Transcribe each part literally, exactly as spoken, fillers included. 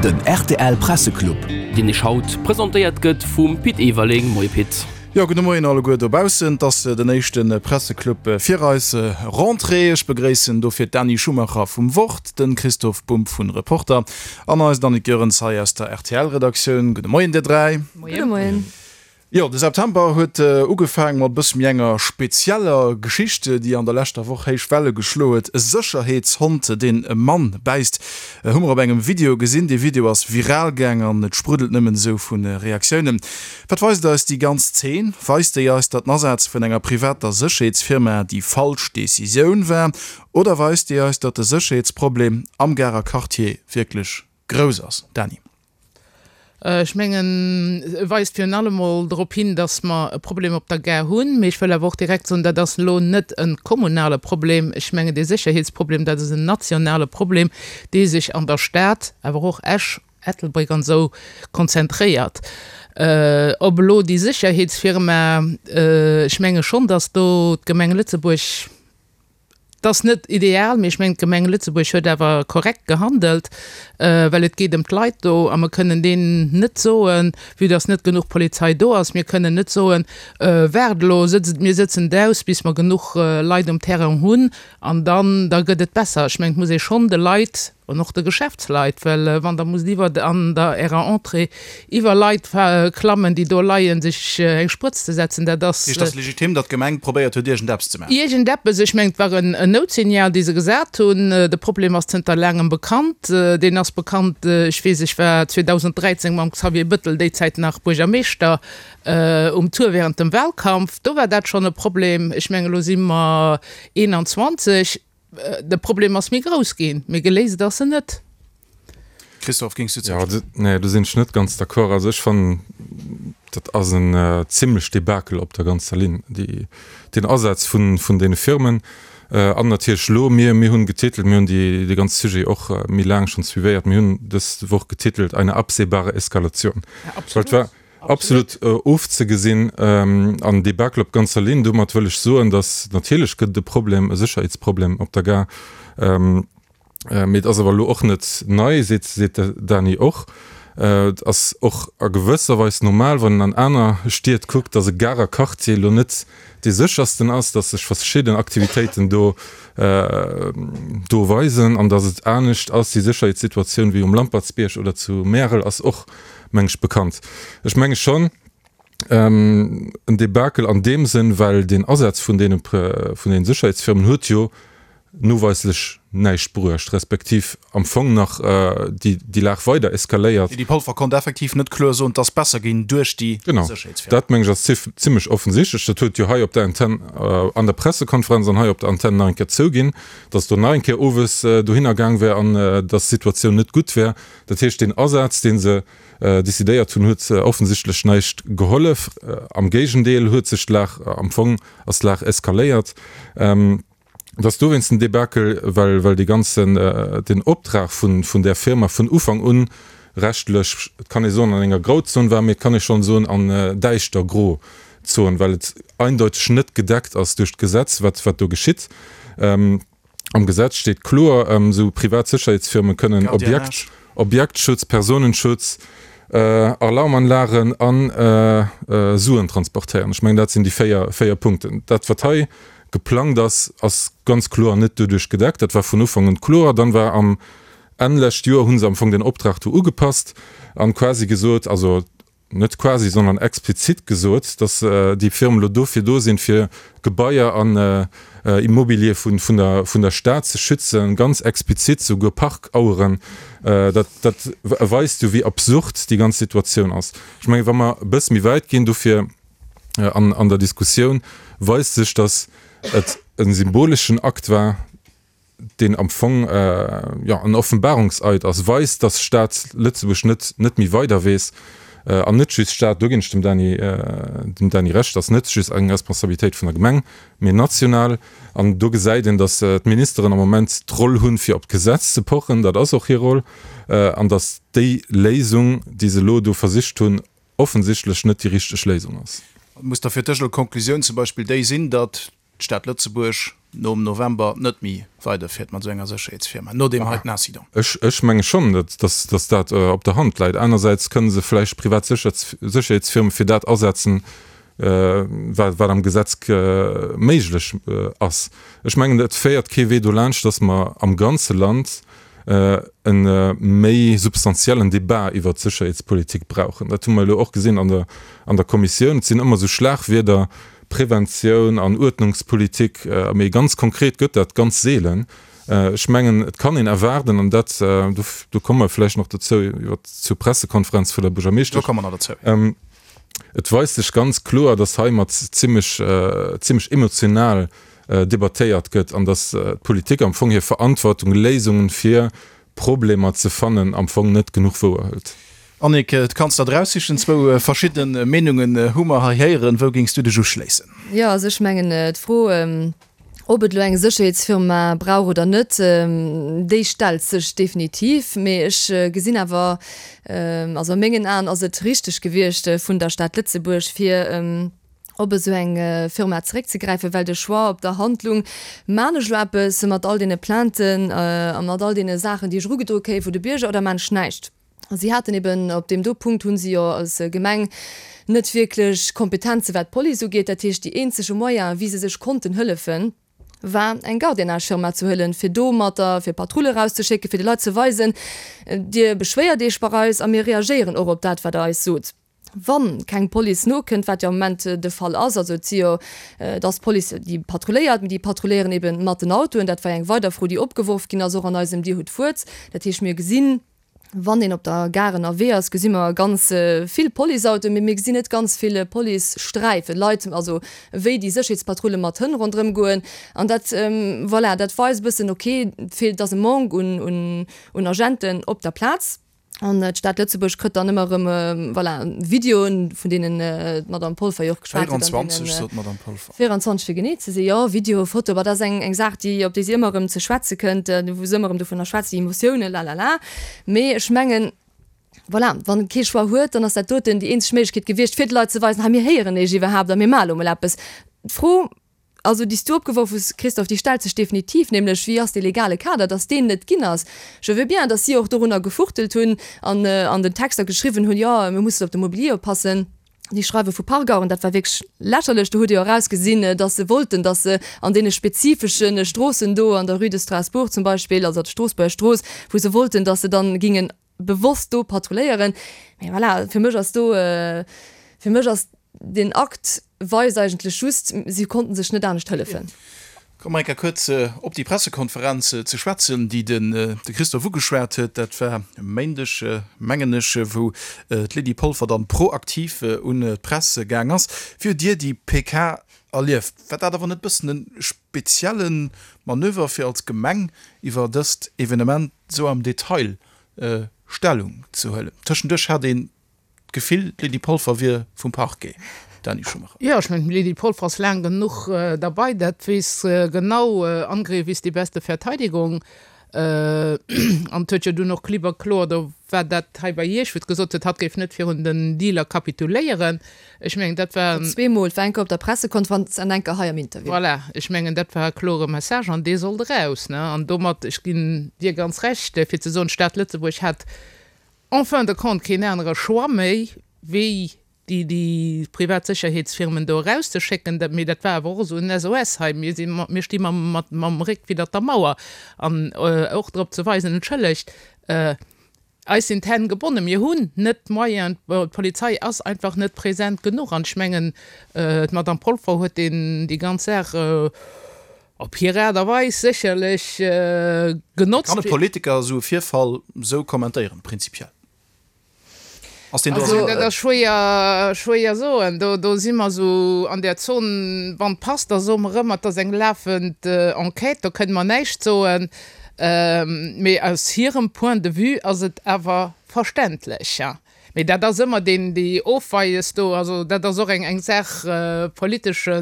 Den rtl Presseclub. Deen iech haut presentéiert gëtt vum Pit Everling. Moie Pit. Jo, gudde Moien alleguer dobaussen. Et ass den éischte Presseclub fir eis Rentrée. Ech begréissen dofir d'Dany Schumacher vum Wort, de Christoph Bumb vun Reporter an eist Annick Goerens hei aus der R T L-Redaktioun. Gudde Moien dir dräi. Gudde Moien. Jo, de September huet ugefaang mat e bësse méi enger spezieller Geschicht, déi an der leschter Woch héich Welle geschloe huet. E Sécherheetshond, deen e Mann bäisst, hu mer op engem Video gesinn. Dee Video ass viral gaang an et spruddelt nëmmen esou vu Reaktiounen. Wat weist eis déi ganz Zeen? Weist déi eis, datt den Asaz vun enger privater Sécherheetsfirma déi falsch Decisioun war? Oder weist déi eis, datt de Sécherheetsproblem am Garer Quartier wierklech grouss ass? Dany. Ech mengen, e weist virun allem mol drop hin, dass mer e Problem op der Gare hunn. Mee ech wëll awer och direkt soen, dat ass elo net e kommunale Problem. Ech mengen, dee Sécherheetsproblem, dat ass en nationale Problem, dee sech an der Stad, awer och Esch, Ettelbréck an esou, konzentréiert. Ob elo déi Sécherheetsfirma, ech menge schonn, dass do d'Gemeng Lëtzebuerg, Et ass net ideal, mee ech mengen, d'Gemeng Lëtzebuerg huet awer korrekt gehandelt, well et geet ëm d'Leit do a mer kënnen deenen net soen, vue dass net genuch Polizei do ass, mir kënnen net soen, waart elo, sëtzt, mir sëtzen et aus, bis mer genuch Leit um Terrain hunn an dann, da gëtt et besser. Ech mengen, et muss ee schonn de Leit an och de Geschäftsleit, well wann Der musst iwwer an der Ärer Entrée iwwer Leit klammen, déi do leien, sech eng Sprëtz ze setzen, dat ass. Heescht, et ass legitim, datt d'Gemeng probéiert huet, iergendeppes ze maachen? Iergendeppes. Ech mengen, et war en Noutsignal, dee se gesat hunn. De Problem ass zënter laangem bekannt. Deen ass bekannt, ech weess, ech war zweedausend dräizéng mam Xavier Bëttel, déi Zäit nach Buergermeeschter, um Tour während dem Wahlkampf. Do war dat schonn e Problem. Ech mengen, elo si mer eenanzwanzeg. De Problem ass méi grouss ginn, mee geléist ass en net. Christophe, géings du Ja, nee, do sinn ech net ganz d'accord. Also ech fannen, dat ass en zimlech Debakel op der ganzer Linn, déi, deen Asaz vun, vun deene Firmen. An natierlech elo, mir, mir hunn getitelt, mir hunn déi, dee ganze Sujet och méi laang schonn suivéiert, mir hunn dës Woch getitelt, Eine absehbare Eskalation. Ja, absolut. Well et war absolut ofzegesinn an Debakel op ganzer Linn. Domat wëll ech soen, datt natierlech gëtt et e Problem, e Sécherheetsproblem op der Gare, mee et ass awer elo och net nei, seet seet de Dany och. Et ass och a gewësser Weis normal, wann een an aner Stied kuckt, datt e Garer Quartier elo net dee séchersten ass, datt sech verschidden Aktivitéiten do do weisen an datt et anescht ass, déi Sécherheetssituatioun, wéi um Lampertsbierg oder zu Märel ass och, meng ech, bekannt. Ech menge schonn, en Debakel an deem Sënn, well deen Asaz vun deene vun deene Sécherheetsfirmen huet jo noweislech näischt bruecht, respektiv am Fong nach déi déi Lag weider eskaléiert. D'Lydie Polfer konnt effektiv net kloer soen, et ass besser ginn duerch déi Genau, Sécherheetsfirmen. dat meng ech ass zimmlech offensichtlech. Dat huet jo hei op der Antenn an der Pressekonferenz an hei op der Antenn nach eng Kéier zouginn, datt do nach eng Kéier owes dohinner gaang wär an datt d'Situatioun net gutt wär. Dat heescht, deen Asaz, dee se decidéiert hunn, huet offensichtlech näischt gehollef. Am Géigendeel huet sech d'Lag, am Fong ass d'Lag eskaléiert. Et ass dowéinst en Debakel, well well dee ganzen, den Optrag vun vun där Firma vun Ufank un rechtlech, et kann ee soen an enger Grauzon war, mee et kann ee schonn soen an däischter gro Zon, well et eindeuteg net gedeckt ass duerch d'Gesetz, wat wat do geschitt. Am Gesetz steet kloer, esou privat Sécherheetsfirme kënnen Objekt, Objektschutz, Personenschutz, Alarmanlagen a Suen transportéieren. Ech mengen, dat sinn déi véier, véier Punkten. Dat, wat hei geplangt ass, ass ganz kloer net doduerch gedeckt. Dat war vun Ufank un kloer. Dann war am Enn lescht Joer, hu se am Fong den Optrag do ugepasst an quasi gesot, also net quasi, sondern explizit gesot, dass déi Firmen elo dofir do sinn, fir Gebaier an Immobilier vun vun der vun der Stad ze schützen, ganz explizit souguer Parkaueren. Dat dat weist jo, wéi absurd déi ganz Situatioun ass. Ech mengen, wa mer e bësse méi wäit ginn dofir an an der Diskussioun, weist sech, dass et e symboleschen Akt war, deen am Fong, jo, en Offenbarungseid ass, weist, dass d'Stad Lëtzebuerg net net méi weider weess. An net just d'Stad, do ginn ech dem Dany dem Dany Recht, ass net just eng Responsabilitéit vun der Gemeng, mee national. An do gesäit een, dass d'Ministeren am Moment d'Roll hunn, fir op d'Gesetz ze pochen, dat ass och hir Roll, an dass déi Léisung, déi se elo do versicht hunn, offensichtlech net déi richteg Léisung ass. Muss da fir dech elo d'Konklusioun zum Beispill déi sinn, datt d'Stad Lëtzebuerg nom November net méi weiderfiert mat esou enger Sécherheetsfirma, no deem heiten Incident? Ech, ech menge schonn, datt, datt, datt dat op der Hand läit. Anersäits kënne se vläicht privat Sécherheetsfirme fir dat asetzen, wat, wat am Gesetz méiglech ass. Ech mengen, et féiert kee Wee dolaanscht, datt mer am ganze Land e méi substantiellen Debat iwwert d'Sécherheetspolitik brauchen. Dat hu mer elo och gesinn an der, an der Kommissioun. Et sinn ëmmer esou Schlagwierder, Preventioun an Uerdnungspolitik, mee ganz konkret gëtt dat ganz seelen. Ech mengen, et kann een erwaarden, an dat, do komme mer vläicht nach dozou iwwert zur Pressekonferenz vun der Buergermeeschtesch. Do komme mer nach dozou. Et weist sech ganz kloer, dass heimat zimmlech, zimmlech emotional debattéiert gëtt an dass d'Politik am Fong hir Verantwortung, Léisungen fir Problemer ze fannen, am Fong net genuch wouerhëlt. Annick, du kanns der eraussichen, zwou verschidde Meenungen hu mer hei héieren. Wou géings du dech uschléissen? Jo, also ech mengen, d'Fro, ob et elo eng Sécherheetsfirma brauch oder net, déi stellt sech definitiv. Mee ech gesinn awer, also a mengen Aen ass et richteg gewiescht vun der Stad Lëtzebuerg, fir op esou eng Firma zeréckzegräifen, well de Choix op der Hand lung, Maan ech elo eppes mat all deene Plainten a mat all deene Saachen, déi ech erugedroe kréie vu de Bierger, oder maan ech näischt? A si haten eben, op deem do Punkt hu si jo als Gemeng net wierklech Kompetenze wat d'Police ugeet. Dat heescht, déi eenzege Moyen, wéi se sech konnten hëllefen, war eng Gardiennage-Firma ze huelen, fir domatter, fir Patrulle erauszeschécken, fir de Leit ze weisen, Dir beschwéiert Iech bei eis a mir reagéieren och op dat, wat Der eis sot. Wann keng Police nokënnt, wat jo am Moment de Fall ass, also et si jo, et ass d'Police, déi patrulléiert, mee déi patrulléieren ebe mat den Autoen. Dat war jo eng weider Fro, déi opgeworf ginn ass, och an eisem Dir hutt d'Wuert. Dat heescht, mir gesinn, wann een op der Gare ënnerwee ass, gesi mer ganz vill Policeautoen, mee mir gesinn net ganz vill Policesträifen, Leit, also wéi déi Sécherheetspatrulle mat Hënn ronderëm goen. An dat, voilà, dat weist e bëssen, okay, et feelt, et ass e Manque un, un, un Agenten op der Plaz. An d'Stad Lëtzebuerg kritt dann ëmmer erëm, voilà, Videoen, vun deenen d'Madame Polfer jo och geschwat huet. véierundzwanzeg, sot d'Madame Polfer. véierundzwanzeg, fir genee ze sinn, jo. Video, Foto, ma dat ass eng, eng Saach, déi, op déi si ëmmer erëm ze schwätze kënnt, wou se ëmmer erëm dovunner schwätzt, déi Emotiounen, lalala. Mee ech mengen, voilà, wann ee kee Choix huet, dann ass dat doten déi eenzeg Méiglechkeet gewiescht, fir de Leit ze weisen, hei, mir héieren Iech iwwerhaapt a mir maache lo mol eppes. D'Fro. Also, déi s du opgeworf hues, Christophe, déi stellt sech definitiv, nämlech, Wéi ass dee legale Kader, dass deen net ginn ass? Je veux bien, dass si och dorunner gefuchtelt hunn an an den Texter geschriwwen hunn, jo, mir mussen op de Mobilier oppassen. Déi Schreiwe vu Pargauern, dat war wierklech lächerlech. Do hutt Dir jo erausgesinn, dass se wollten, dass se an deene spezifesche Stroossen do, an der Rue de Strasbourg zum Beispill, also der Stroossbuerger Strooss, wou se wollten, dass se dann gingen bewosst do patrulléieren. Mee voilà, fir mech ass do, fir mech ass deen Akt weist eigentlech just, si konnten sech net anescht hëllefen. Komme mer eng Kéier kuerz op déi Pressekonferenz ze schwätzen, déi de Christophe ugeschwat huet. Dat war e Méindeg, mengen ech, wou d'Lydie Polfer dann proaktiv un d'Press gaang ass. Wéi hutt Dir déi P K erlieft? War dat awer net e bëssen e spezielle Manöver, fir als Gemeng iwwer dëst Evenement esou am Detail Stellung ze huelen? Tëschenduerch hat een d'Gefill, d'Lydie Polfer wier vum Parquet, Dany Schumacher. Jo, ech mengen, d'Lydie Polfer ass laang genuch derbei, dat weess genau, Angriff ist die beste Verteidigung. An et huet jo dunn och klipp a kloer, do war dat hei bei Iech, wou et gesot huet, hatt géif net virun den Dealer kapituléieren. Ech mengen, dat war. Zweemol, et war eng Kéier op der Pressekonferenz an eng Kéier hei am Interview. Voilà, ech mengen, dat war e klore Message an dee sollt eraus, ne? An domat, ech ginn dir ganz Recht, fir ze soen, d'Stad Lëtzebuerg hätt en fin de compte keen anere Choix méi, wéi déi déi privat Sécherheetsfirmen do erauszeschécken. Dat, mee dat war awer och esou en S O S hei, mir si mir sti mam mat mam Réck widdert der Mauer an och drop ze weisen, entschëllegt, eis sinn d'Hänn gebonnen, mir hunn net d'Moyenen, d'Polizei ass einfach net present genuch. An ech mengen, d'Madame Polfer huet deen déi ganz Saach op hir Aart a Weis sécherlech genotzt. Kann e Politiker esou e Virfall esou kommentéieren, prinzipiell? Ass deen do Also, dat ass schwéier, schwéier soen. Do, do si mer esou an där Zon, wann et passt, da soe mer ëmmer, et ass eng lafend Enquête, do kënne mer näischt soen. Mee aus hirem Point de vue ass et awer verständlech. Mee dat ass ëmmer deen, déi Ofweies do, also dat ass och eng, eng Saach politesche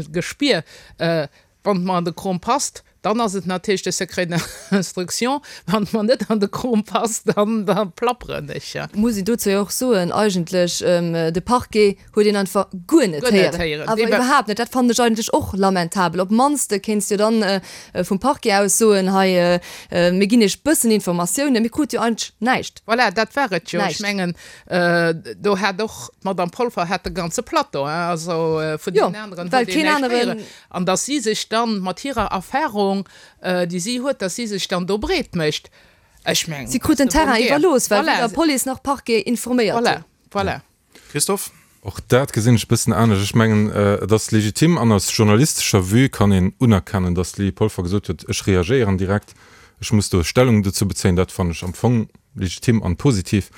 Gespier. Wann et mer an de Krom passt, Dann ass et natierlech de Secret d'instruction, wann et mer net an de Krom passt, dann da plapperen ech. Muss een dozou jo och soen, eigentlech, de Parquet huet een einfach guer net héieren. Awer iwwerhaapt net. Dat fannen ech eigentlech och lamentabel. Op d'mannst kéints de dann vum Parquet aus soen, hei, mir ginn iech bëssen Informatiounen. Mir krute jo eigentlech näischt. Voilà, dat war et jo. Ech mengen, do hat och d'Madame Polfer hat de ganze Plateau, hein, also vun deenen aneren huet een näischt héieren. An datt si sech dann mat hirer Erfahrung, déi si huet, datt si sech dann do breet mécht, ech mengen, Si krut den Terrain iwwerlooss, well weder Police nach Parquet informéiert hunn. Voilà, voilà. Christophe? Och dat gesinn ech e bëssen anescht. Ech mengen, et ass legitim an aus journalistescher Vue kann een unerkennen, datt d'Lydie Polfer gesot huet, ech reagéieren direkt, ech muss do Stellung dozou bezéien. Dat fannen ech am Fong legitim an positiv.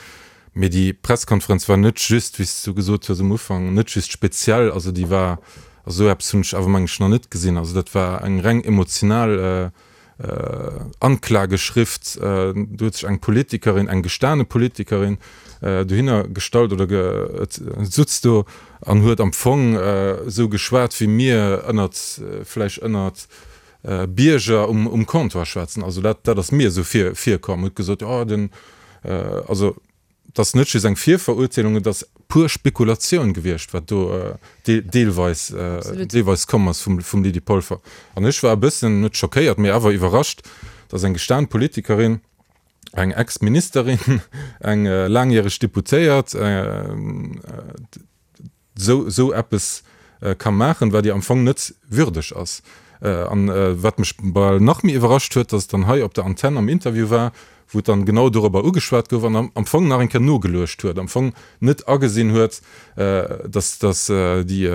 Mee déi Pressekonferenz war net just, wéi s du gesot hues um Ufank, net just speziell, also déi war, also esou eppes hunn ech awer meng ech nach net gesinn. Also dat war eng reng emotional Anklageschrift. Do huet sech eng Politikerin, eng gestane Politikerin dohinner gestallt oder sutz do an huet am Fong esou geschwat, wéi mir ënnert, vläicht ënnert Bierger um Comptoir schwätzen. Also dat, dat ass mir esou virkomm. Huet gesot, jo den, also et ass net just eng Virverurteelung, et ass pur Spekulatioun gewiescht, wat do deelweis, deelweis komm ass vum, vum Lydie Polfer. An ech war e bëssen, net schockéiert, mee awer iwwerrascht, dass eng gestan Politikerin, eng Ex-Ministerin, eng laangjäreg Deputéiert, esou, esou eppes ka maachen, wat ihr am Fong net würdeg ass. An wat mech bal nach méi iwwerrascht huet, dass et dann hei op der Antenn am Interview war, wou et dann genau dorobber ugeschwat gouf an am Fong nach eng Kéier nogeluecht huet, am Fong net agesinn huet, dass, dass déi,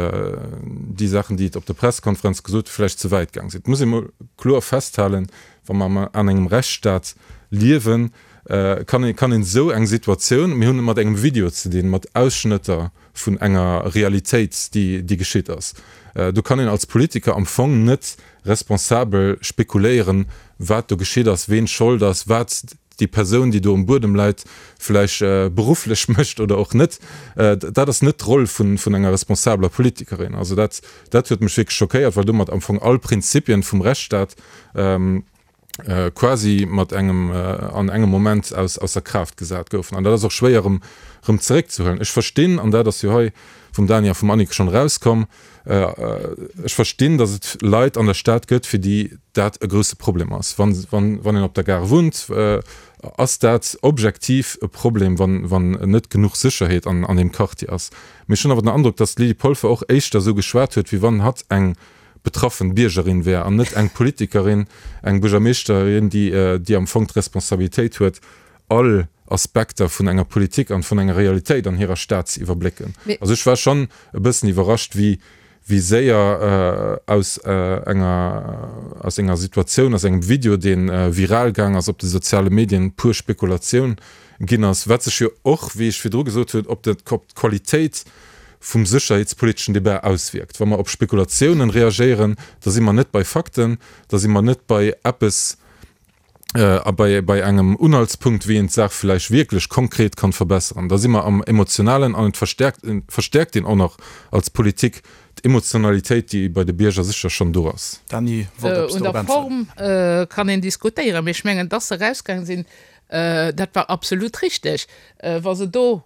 déi Saachen, déi et op der Pressekonferenz gesot huet, vläicht ze wäit gaang sinn. Et muss ee mol kloer festhalen, wa mer an engem Rechtsstaat liewen, kann een, kann een esou eng Situatioun, mir hunn et mat engem Video ze dinn, mat Ausschnëtter vun enger Realitéit, déi, déi geschitt ass, do kann een als Politiker am Fong net responsabel spekuléieren, wat do geschitt ass, ween Schold ass, wat déi Persoun, déi do um Buedem läit, vläicht berufflech mécht oder och net. Dat ass net d'Roll vun, vun enger responsabeler Politikerin. Also dat, dat huet mech wierklech schockéiert, well domat am Fong all Prinzipien vum Rechtsstaat quasi mat engem, an engem Moment aus, ausser Kraaft gesat goufen. An dat ass och schwéier erëm, erëm zeréckzehuelen. Ech verstinn, an dat ass jo hei vum Dany a vum Annick schonn erauskomm, ech verstinn, datt et Leit an der Stad gëtt, fir déi dat e grousse Problem ass. Wann, wann, wann een op der Gare wunnt, ass dat objektiv e Problem, wann, wann net genuch Sécherheet an, an deem Quartier ass. Mee ech hunn awer den Androck, datt d'Lydie Polfer och éischter esou geschwat huet, wéi wann hatt eng betraffen Biergerin wär an net eng Politikerin, eng Buergermeeschterin, déi, déi am Fong d'Responsabilitéit huet, all Aspekter vun enger Politik an vun enger Realitéit an hirer Stad ze iwwerblécken. Also ech war schonn e bëssen iwwerrascht, wéi, wéi séier aus enger, aus enger Situatioun, aus engem Video, dee viral gaang ass op de soziale Medien, pur Spekulatioun ginn ass, wat sech jo och, wéi ech virdru gesot hunn, op d'Qualitéit vum sécherheetspoliteschen Debat auswierkt. Wa mer op Spekulatiounen reagéieren, da si mer net bei Fakten, da si mer net bei eppes a bei, bei engem Unhaltspunkt, wéi een d'Saach vläicht wierklech konkret kann verbessern. Da si mer am Emotionalen an et verstärkt, verstärkt een och nach als Politik d'Emotionalitéit, déi bei de Bierger sécher schonn do ass. Dany wollt eppes Un dorop der äntweren. Form kann een diskutéieren, mee ech mengen, dass se erausgaange sinn, dat war absolut richteg. Wa se do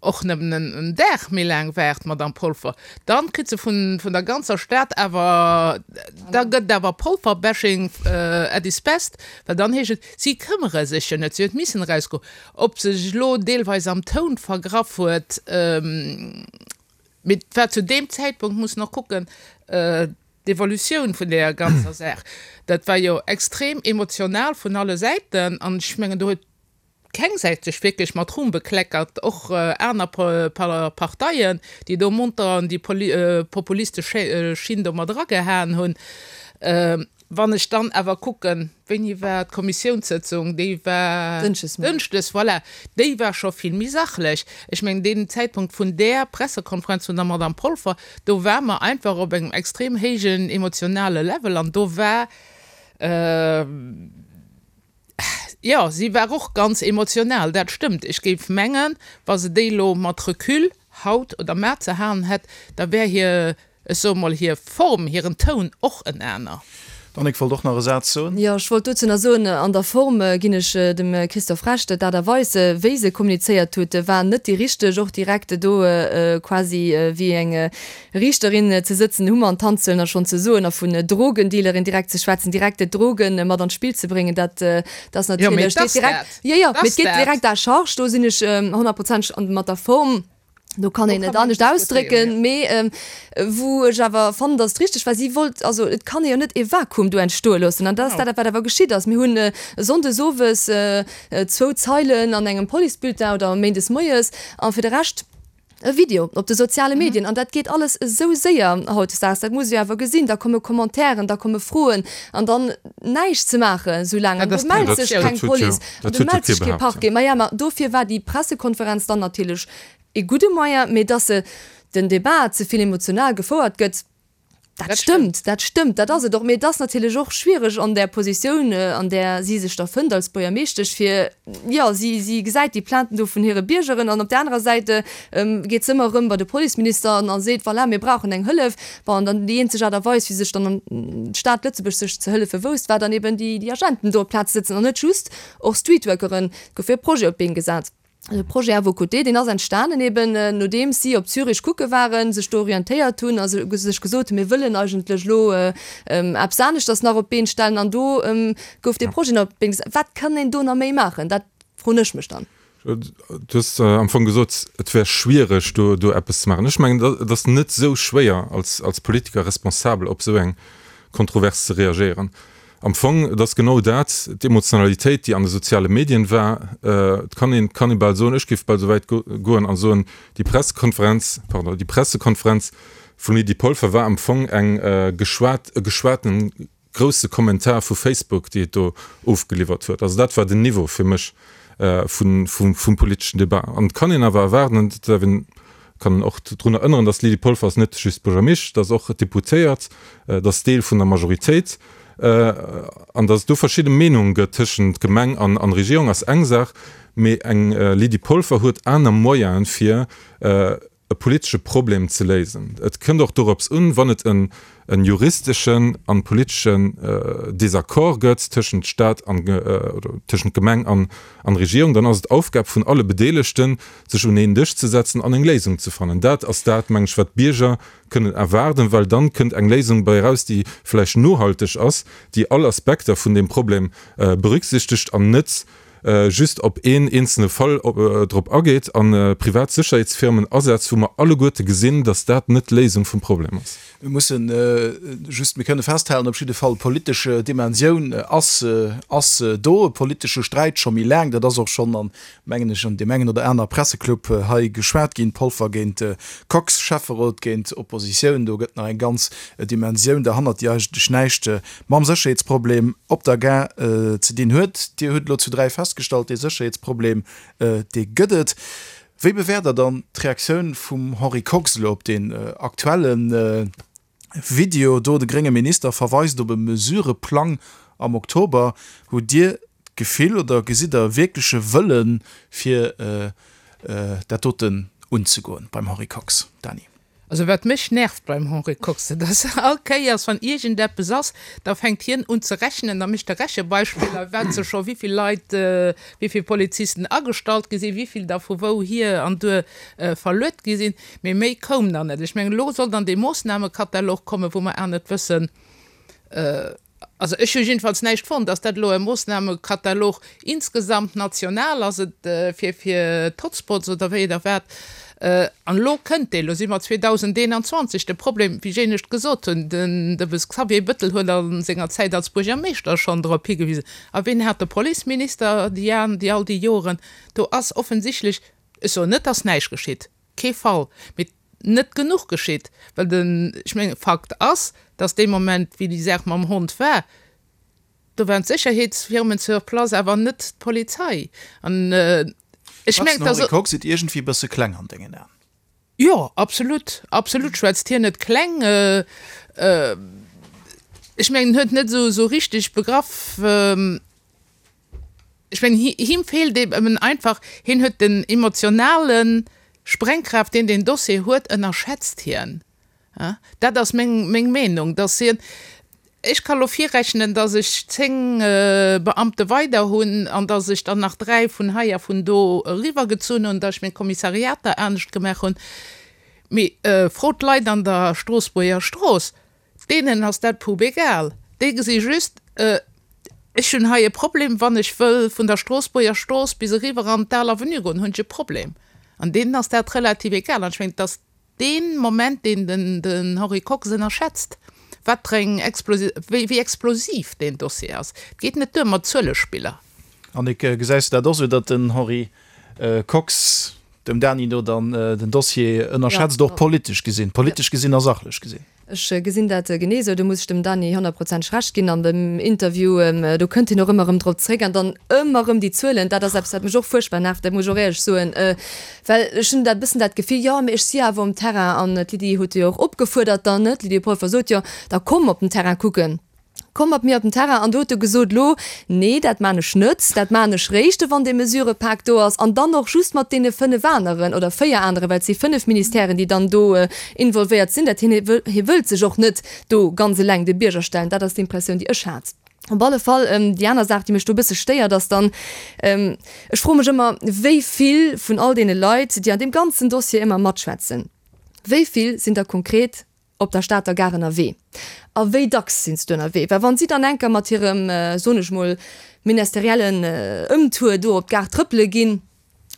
och nëmmen en Dag méi laang waart, d'Madame Polfer, dann kritt se vun vun der ganzer Stad awer, da gëtt et awer Polfer-Bashing at its best, well dann heescht et, si këmmere sech jo net, si huet missen erausgoen. Ob se sech elo deelweis am Toun vergraff huet, mee et war zu deem Zäitpunkt, muss en och kucken, d'Evolutioun vun deeër ganzer Saach, dat war jo extrem emotional vun alle Säiten an ech mengen, do huet keng Säit sech wierklech mat Ruhm bekleckert, och aner Parteien, déi do monter an déi populistesch Schinn do mat eragehaen hunn. Wann ech dann awer kucken, wéini war d'Kommissiounssëtzung, déi war dënschdes, voilà, déi war scho vill méi sachlech. Ech mengen, deen Zäitpunkt vun där Pressekonferenz vun der Madame Polfer, do ware mer einfach op engem extrem héijen emotionale Level an do war, Jo, si war och ganz emotional, dat stëmmt. Ech géif mengen, wa se déi elo mat Recul haut oder mar ze halen hätt, da wär hir, ech soe mol, hir Form, hiren Toun och en aner. D'Annick wollt och nach e Saz soen. Jo, ech wollt dozou nach soen, an der Form ginn ech dem Christophe Recht, d'Aart a Weis, wéi se kommunizéiert huet, war net déi richteg. Och direkt do quasi wéi eng Riichterin ze sëtzen, hu mer an d'Hand ze huelen a schonn ze soen a vun Drogendealerin direkt ze schwätzen, direkt d'Drogen mat an d'Spill ze bréngen, dat ass natierlech, steet direkt, jo, jo, mee et geet direkt à charge. Do sinn ech honnertprozenteg mat der Form. Do kann een et anescht ausdrécken, mee wou ech awer fannen, datt et richteg war, si wollt, also et kann ee jo net ee Vakuum do entstoe loossen an dat ass dat, wat awer geschitt ass. Mir hunn sonndes owes zwou Zeilen an engem Policebulletin oder méindes moies a fir de Rescht e Video op de soziale Medien an dat geet alles esou séier hautdesdaags, dat muss ee jo awer gesinn. Da komme Commentairen, da komme Froen an dann näischt ze maachen esou laang an do mellt sech keng Police an do mellt sech kee Parquet. Maja, ma dofir war déi Pressekonferenz dann natierlech E gudde Moyen, mee dass se den Debat ze vill emotional gefouert gëtt, dat stëmmt, dat stëmmt, dat ass et och. Mee et ass natierlech och schwiereg an där Positioun, an där si sech da fënnt als Buergermeeschtesch, fir, jo, si, si gesäit déi Plainten do vun hire Biergeren an op där anerer Säit geet se ëmmer erëm bei de Policeminister an a seet, voilà, mir brauchen eng Hëllef. Bon, an dann déi eenzeg Aart a Weis, wéi sech dann d'Stad Lëtzebuerg sech ze hëllefe wousst, war dann eben déi, déi Agenten do op d'Plaz ze sëtzen an net just och Streetworkeren. Et gouf jo e Projet op d'Been gesat. De Projet à vos côtés, deen ass entstanen eben nodeems si op Zürich kucke waren, sech do orientéiert hunn a sech gesot hunn, mir wëllen eigentlech elo eppes aneschters nach op d'Been stellen. An do gouf dee Projet nach op d'Been gesat. Wat kann een do nach méi maachen? Dat froen ech mech dann. Du hues am Fong gesot, et wär schwiereg do do eppes ze maachen. Ech mengen, et ass net esou schwéier als Politiker responsabel op esou eng Kontrovers ze reagéieren. Am Fong, et ass genau dat, d'Emotionalitéit, déi an de soziale Medien war. Et kann een, kann ee bal soen, ech géif bal esou wäit goen a soen, déi Pressekonferenz, pardon, déi Pressekonferenz vum Lydie Polfer war am Fong eng geschwat, e geschwaten grousse Kommentar vu Facebook, déi et do ofgeliwwert huet. Also dat war den Niveau fir mech vun, vum, vum politeschen Debat. An et kann een awer erwaarden, an dat däerf een, kann och drun erënneren, dass d'Lydie Polfer ass net just Buergermeeschtesch, dat ass och Deputéiert, dat ass Deel vun der Majoritéit, an dass et do verschidde Meenunge gëtt tëschent Gemeng an an Regierung ass eng Saach, mee eng Lydie Polfer huet aner Moyene fir e politesche Problem ze léisen. Et kënnt och dorops un, wann et en en juristeschen an politeschen Désaccord gëtt tëschent Stat an, oder tëschent Gemeng an an Regierung, dann ass et Aufgab vun alle Bedeelegten, sech un een Dësch ze setzen an eng Léisung ze fannen. Dat ass dat, meng ech, wat d'Bierger kënnen erwaarden, well dann kënnt eng Léisung bei eraus, déi vläicht nohalteg ass, déi all Aspekter vun deem Problem berücksichtegt an net just op een eenzelne Fall drop ageet a privat Sécherheetsfirmen asetzt, wou mer alleguerte gesinn, dass dat net d'Léisung vum Problem ass. Mir mussen just, mir kënne festhalen op jidde Fall, d'politesch Dimensioun ass, ass do, e politesche Sträit scho méi laang. Dat ass och schonn an, mengen ech, an deem engen oder aner Presseclub hei geschwat ginn, Polfer géint Kox, Schäfferot géint Oppositioun. Do gëtt nach eng ganz Dimensioun derhannert, déi eigentlech näischt mam Sécherheetsproblem op der Gare ze dinn huet. Dir hutt elo zu dräi festgestallt, dee Sécherheetsproblem, dee gëtt et. Wéi bewäert Der dann d'Reaktioun vum Henri Kox elo op deen aktuelle Video do? De grénge Minister verweist op e Mesureplang am Oktober. Hutt Dir d'Gefill oder gesitt Der e wierkleche Wëllen, fir dat doten unzegoen beim Henri Kox? Dany. Also wat mech nervt beim Henri Kox, dat ass all Kéiers wann iergendeppes ass, da fänkt hien un ze rechnen, da mécht e Rechebeispiller, wat se scho wéivill Leit, wéivill Polizisten agestallt gi sinn, wéivill der vu wou hier an duer verluet gi sinn. Mee méi koum dann net. Ech mengen, elo soll dann dee Moossnamekatalog kommen, wou mer awer net wëssen, Also ech hu jiddefalls näischt fonnt. Ass dat elo e Moossnamekatalog insgesamt national? Ass et fir fir d'Hotspots oder wéi oder wat? An elo kënnt deen, elo si mer zweedausendeenanzwanzeg De Problem, wéi ech éinescht gesot hunn, den de Xavier Bettel huet a senger Zäit als Buergermeeschter schonn drop higewisen. A wien hat de Policeminister déi an déi all déi Joren? Do ass offensichtlech, ech soen net, dass näischt geschitt, kee Fall, mee net genuch geschitt, well den, ech mengen, Fakt ass, dass dee Moment, wéi déi Saach mam Hond war, do waren d'Sécherheetsfirmen sur place, awer net d'Polizei. An ech mengen, dass. Schwätzt den Henri Kox et iergendwéi e bësse kleng an dengen Aen? Jo, absolut, absolut schwätzt hien et kleng. Ech mengen, en huet net esou richteg begraff, Ech mengen, him feelt eben einfach, hien huet den emotionale Sprengkraaft, deen deen Dossier huet, ënnerschätzt hien. Dat ass meng Meenung, dass hien, Ech ka lo virrechnen, dass ech zéng Beamte weider hunn an dass ech dann nach dräi vun hei a vun do eriwwergezunn hunn, dass ech meng Kommissariater anescht gemaach hunn. Mee frot d'Leit an der Stroossbuerger Strooss, deenen ass dat pubegal. Déi gesi just, Ech hunn hei e Problem, wann ech wëll vun der Stroossbuerger Strooss bis eriwwer an d'Al Avenue goen, hunn ech e Problem. An deenen ass dat relativ egal. An ech mengen, et ass dee Moment, deen den Henri Kox ënnerschätzt, wat fir eng wéi explosiv deen Dossier ass. Et geet net duer mat Zuelespiller. Annick, gesäis de dat och esou, datt den Henri Kox dem Dany no dann den Dossier ënnerschätzt, och politesch gesinn, politesch gesinn a sachlech gesinn? Ech gesinn dat genee esou. Do muss ech dem Dany honnertprozenteg Recht ginn. An dem Interview, do kënnt hien och ëmmer erëm drop zréck an dann ëmmer erëm déi Zuelen. Dat ass eppes, wat mech och fuerchtbar nervt, dat muss ech och éierlech soen. Well ech hunn dat bëssen dat Gefill, jo, mee ech si awer um Terrain an d'Lydie huet jo och opgefuerdert dann, ne, d'Lydie Polfer sot jo, da komm op den Terrain kucken. Komm mat mir op den Terrain. An do huet e gesot, Lo, nee, dat maan ech net, dat maan ech réischt, wann dee Mesurëpak do ass, an dann och just mat deene fënnef aneren oder véier aneren, well et si fënnef Ministèren, déi dann do involvéiert sinn. Dat hien, hie wëllt sech och net do ganz eleng de Bierger stellen. Dat ass d'Impressioun, déi ech hat. Op alle Fall, déi aner Saach, déi mech do e bësse stéiert, ass dann, ech froe mech ëmmer, wéi vill vun all deene Leit, déi an deem ganzen Dossier ëmmer matschwätzen, wéi vill sinn der konkret op der Stater Gare ënnerwee? A wéi dacks sinn se do ënnerwee? Well wa si dann enker mat hirem, soen ech mol, ministeriellen Ëmtour do op d'Gare trëppele ginn,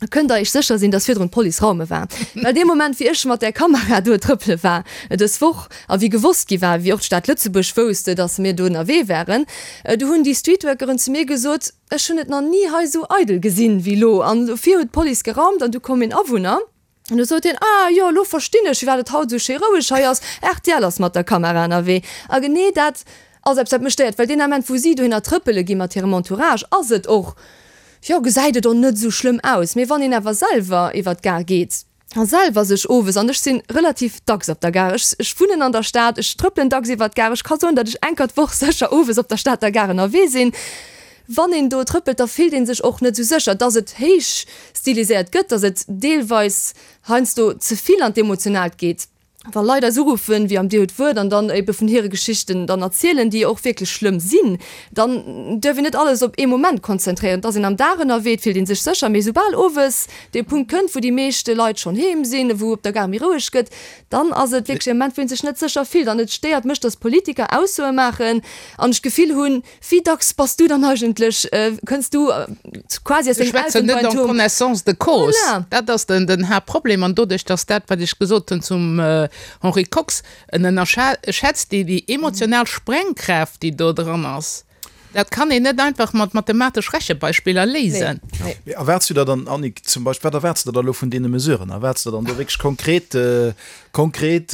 da kënnt Der Iech sécher sinn, dass virdrun d'Police raume war. Well dee Moment, wéi ech mat där Kamera do trëppele war dës Woch a wéi gewosst gi war, wéi och d'Stad Lëtzebuerg wousst, dass mir do ënnerwee waren, du hunn déi Streetworkeren zu mir gesot, Ech hunn et nach ni hei esou eidel gesinn wéi elo. An dofir huet d'Police geraumt an du koum een Awunner. An du sot hien, Ah jo, elo verstinn ech, firwat et haut esou schéi roueg hei ass, rtl ass mat der Kamera ënnerwee. A genee dat ass eppes, wat mech stéiert, well deen Ament, wou si dohinner trëppele gi mat hirem Entourage, ass et och, jo, gesäit et och net esou schlëmm aus. Mee wann een awer selwer iwwer d'Gare geet a selwer sech owes, an ech si relativ dacks op der Gare, ech, ech wunnen an der Stad, ech trëppelen dacks iwwer d'Gare, ech ka soen, datt ech enker d'Woch sécher owes op der Stater Gare ënnerwee sinn, Wann een do trëppelt, da fillt ee sech och net esou sécher. Dass et héich stiliséiert gëtt, dass et deelweis heiansdo ze vill an d'Emotionaalt geet, wa Leit eis uruffen, wéi am Dir hutt d'Wuert, an dann ebe vun hire Geschichten dann erzielen, déi och wierklech schlëmm sinn, dann duerf een net alles op ee Moment konzentréieren. Et ass een am Dag ënnerwee, et fillt ee sech sécher, mee soubal owes dee Punkt kënnt, wou déi meeschte Leit schonn heem sinn, wou op der Gare méi roueg gëtt, dann ass et wierklech e Moment, wou ee sech net sécher fillt. An et stéiert mech, dass Politiker Aussoe maachen an ech d'Gefill hunn, Wéi dacks bass du dann eigentlech, kënns du quasi aus dengem Elfenbeinturm? Ech schwätzen net en connaissance de cause. Voilà. Dat ass den, den Haaptproblem. An doduerch, dass dat, wat ech gesot hunn zum Henri Kox, en ënnerschätzt déi, déi emotional Sprengkraaft, déi do dran ass. Dat kann een net einfach mat mathematesch Rechebeispiller léisen. Nee. Mee erwaarts du der dann, Annick, zum Beispill, wat erwaarts de der da elo vun deene Mesuren? Erwaarts de der dann do wierklech konkret, konkret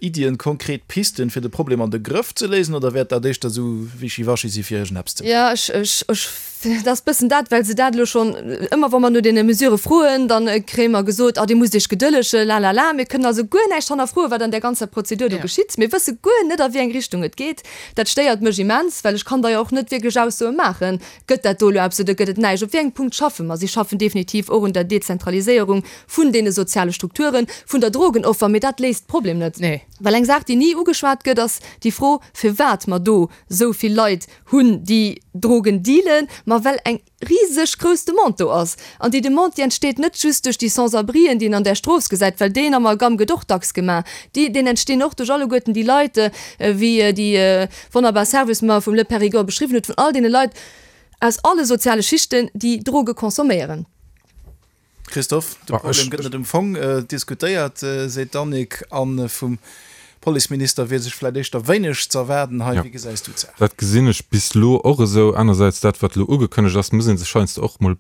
Iddien, konkret Pisten, fir de Problem an de Grëff ze léisen, oder wäert dat éischter esou wischiwaschi si fir iergendeppes ze maachen? Jo, ech, ech, ech, dat ass bëssen dat, well se dat elo schonn ëmmer, wa mer no deene Mesurë froen, da kréie mer gesot, ah, Dir musst Iech gedëllegen, lalala. Mir kënnen also guer näischt hannerfroen, wat an där ganzer Prozedur do geschitt. Mir wësse guer net, a wéi eng Richtung et geet. Dat stéiert mech immens, well ech kann da jo och net wierklech Aussoe maachen, Gëtt dat do elo eppes oder gëtt et näischt? Op wéi engem Punkt schaffe mer? Si schaffen definitiv och un der Dezentraliséierung vun deene soziale Strukturen, vun der Drogenoffer, mee dat léist d'Problem net. Nee. Well eng Saach, déi ni ugeschwat gëtt, ass déi Fro, firwat mer do esou vill Leit hunn, déi Drogen dealen. Ma well eng riseg grouss Demande do ass. An déi Demande, déi entsteet net just duerch déi Sans-abrien, déi een an där Strooss gesäit, well deen Amalgam gëtt och dacks gemaach, déi, deen entstinn och duerch alleguerten déi Leit, wéi déi wonnerbar Service mer vum Le Périgord beschriwwen huet, vun all deene Leit aus alle soziale Schichten, déi Droge consomméieren. Christophe, de Problem gëtt net um Fong diskutéiert, seet d'Annick, a vum Policeminister wier sech vläicht éischter wéineg z'erwaarden hei. Wéi gesäis du d'Saach? Dat gesinn ech bis elo och esou. Anersäits, dat wat elo ugekënnegt ass, muss ee sech heiansdo och mol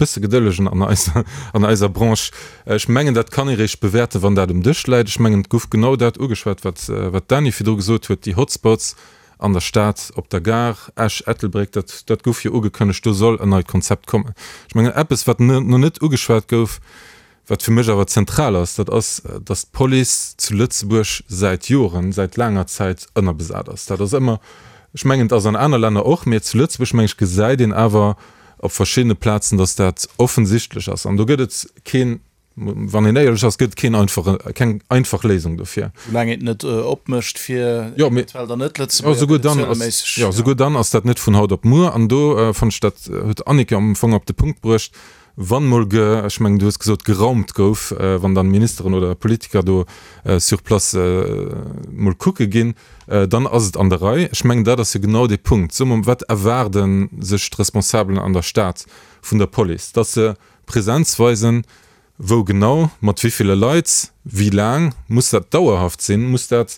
bësse gedëllegen an eiser, an eiser Branche. Ech mengen, dat kann ee réischt bewäerten, wann dat um Dësch läit. Ech mengen, et gouf genau dat ugeschwat, wat, wat d'Dany virdru gesot huet, déi Hotspots an der Stad, op der Gare, Esch, Ettelbréck, dat, dat gouf jo ugekënnegt, do soll en neit Konzept kommen. Ech mengen, eppes, wat nach net ugeschwat gouf, wat fir mech awer zentral ass, dat ass, datt d'Police zu Lëtzebuerg säit Joren, säit laanger Zäit ënnerbesat ass. Dat ass ëmmer, ech mengen, et ass an aner Länner och, mee zu Lëtzebuerg, meng ech, gesäit een awer op verschiddene Plazen, datt dat offensichtlech ass. An do gëtt et kee Wann een éierlech ass, gëtt et keen einfache, keng einfach Léisung dofir. Soulaang een et net opmécht fir Jo, mee, eventuell dann jo, Net-Lëtzebuerger souguer kënnen dann ass, zueleméisseg, jo, ja. souguer dann ass dat net vun haut op muer. An do fannen ech, dat huet d'Annick jo am Fong op de Punkt bruecht, wann mol ge, ech mengen, du hues gesot, geraumt gouf, wann dann Ministeren oder Politiker do sur place mol kucke ginn, dann ass et an der Rei. Ech mengen, dat ass jo genau dee Punkt. Soe mer, wat erwaarde sech d'Responsabelen an der Stad vun der Police? Dass se Präsenz weisen, wou genau, mat wéi ville Leit, wéi laang, muss dat dauerhaft sinn, muss dat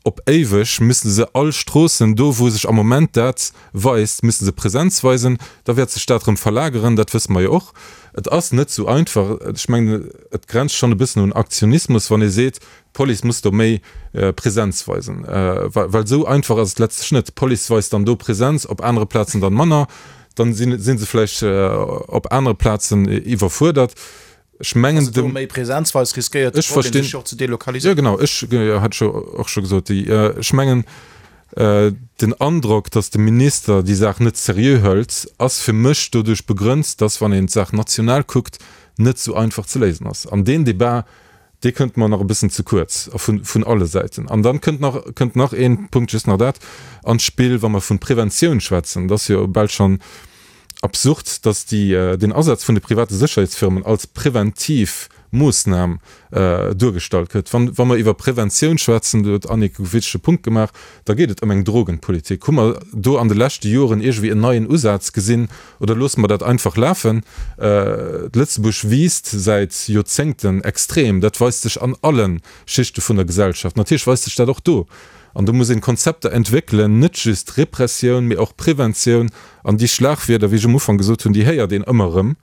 op éiweg, müssen se all Stroossen, do wou sech am Moment dat weist, müssen se Präsenz weisen, da wäert sech dat erëm verlageren, dat wësse mer jo och. Et ass net esou einfach. Ech mengen, et grenzt schonn e bëssen un Aktionismus, wann ee seet, d'Police muss do méi Präsenz weisen, well esou einfach ass et letztlech net. D'Police weist dann do Präsenz, op anere Plazen dann manner. Dann si se vläicht op anere Plazen iwwerfuerdert. Ech mengen, de. Méi Präsenz weist, riskéiert de Problem sech och ze delokaliséieren. Jo, genau, ech hat ech och scho gesot. Ech mengen, den Androck, datt de Minister déi Saach net seriö hëlt, ass fir mech doduerch begrënnt, datt, wann een d'Saach national kuckt, net esou einfach ze léisen ass. An deen Debat, dee kënnt mer nach e bëssen ze kuerz a vun, vun alle Säiten. An dann kënnt nach, kënnt nach een Punkt, just nach dat, an d'Spill, wa mer vun Preventioun schwätzen. Et ass jo bal schonn absurd, dass déi, deen Asaz vun de private Sécherheetsfirmen als preventiv Moossnam duergestallt gëtt. Wann, wa mer iwwer Preventioun schwätzen, do huet d'Annick e wichtege Punkt gemaach, da geet et ëm eng Drogenpolitik. Hu mer do an de leschte Joren iergendwéi en neien Usaz gesinn oder loosse mer dat einfach lafen? Lëtzebuerg wiisst säit Joerzéngten extrem. Dat weist sech an alle Schichte vun der Gesellschaft. Natierlech weist sech dat och do. An do muss een Konzepter entwéckelen, net just Repressioun, mee och Preventioun. An déi Schlagwierder, wéi ech um Ufank gesot hunn, déi héiert een ëmmer erëm.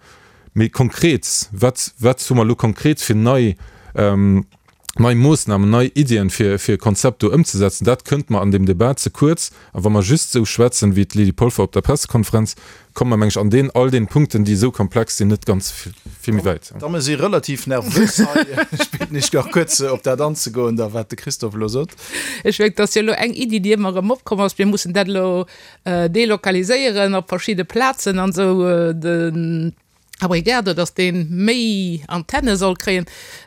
Mee konkret, wat, wat hu mer elo konkret fir nei, nei Moossnamen, nei Iddien, fir, fir e Konzept do ëmzesetzen? Dat kënnt mer an deem Debat ze kuerz. A wa mer just esou schwätzen, wéi d'Lydie Polfer op der Pressekonferenz, komme mer, meng ech, an deen, all deenen Punkten, déi esou komplex sinn, net ganz vill méi wäit. D'Damme si relativ nervös hei. Ech bidden Iech nach kuerz, op dat anzegoen, da wat de Christophe elo sot. Ech mengen, et ass jo elo eng Iddi, déi ëmmer erëm opkomm ass, mir mussen dat elo delokaliséieren op verschidde Plazen an esou. Den Abrigado, dass dee méi Antenne soll kréien,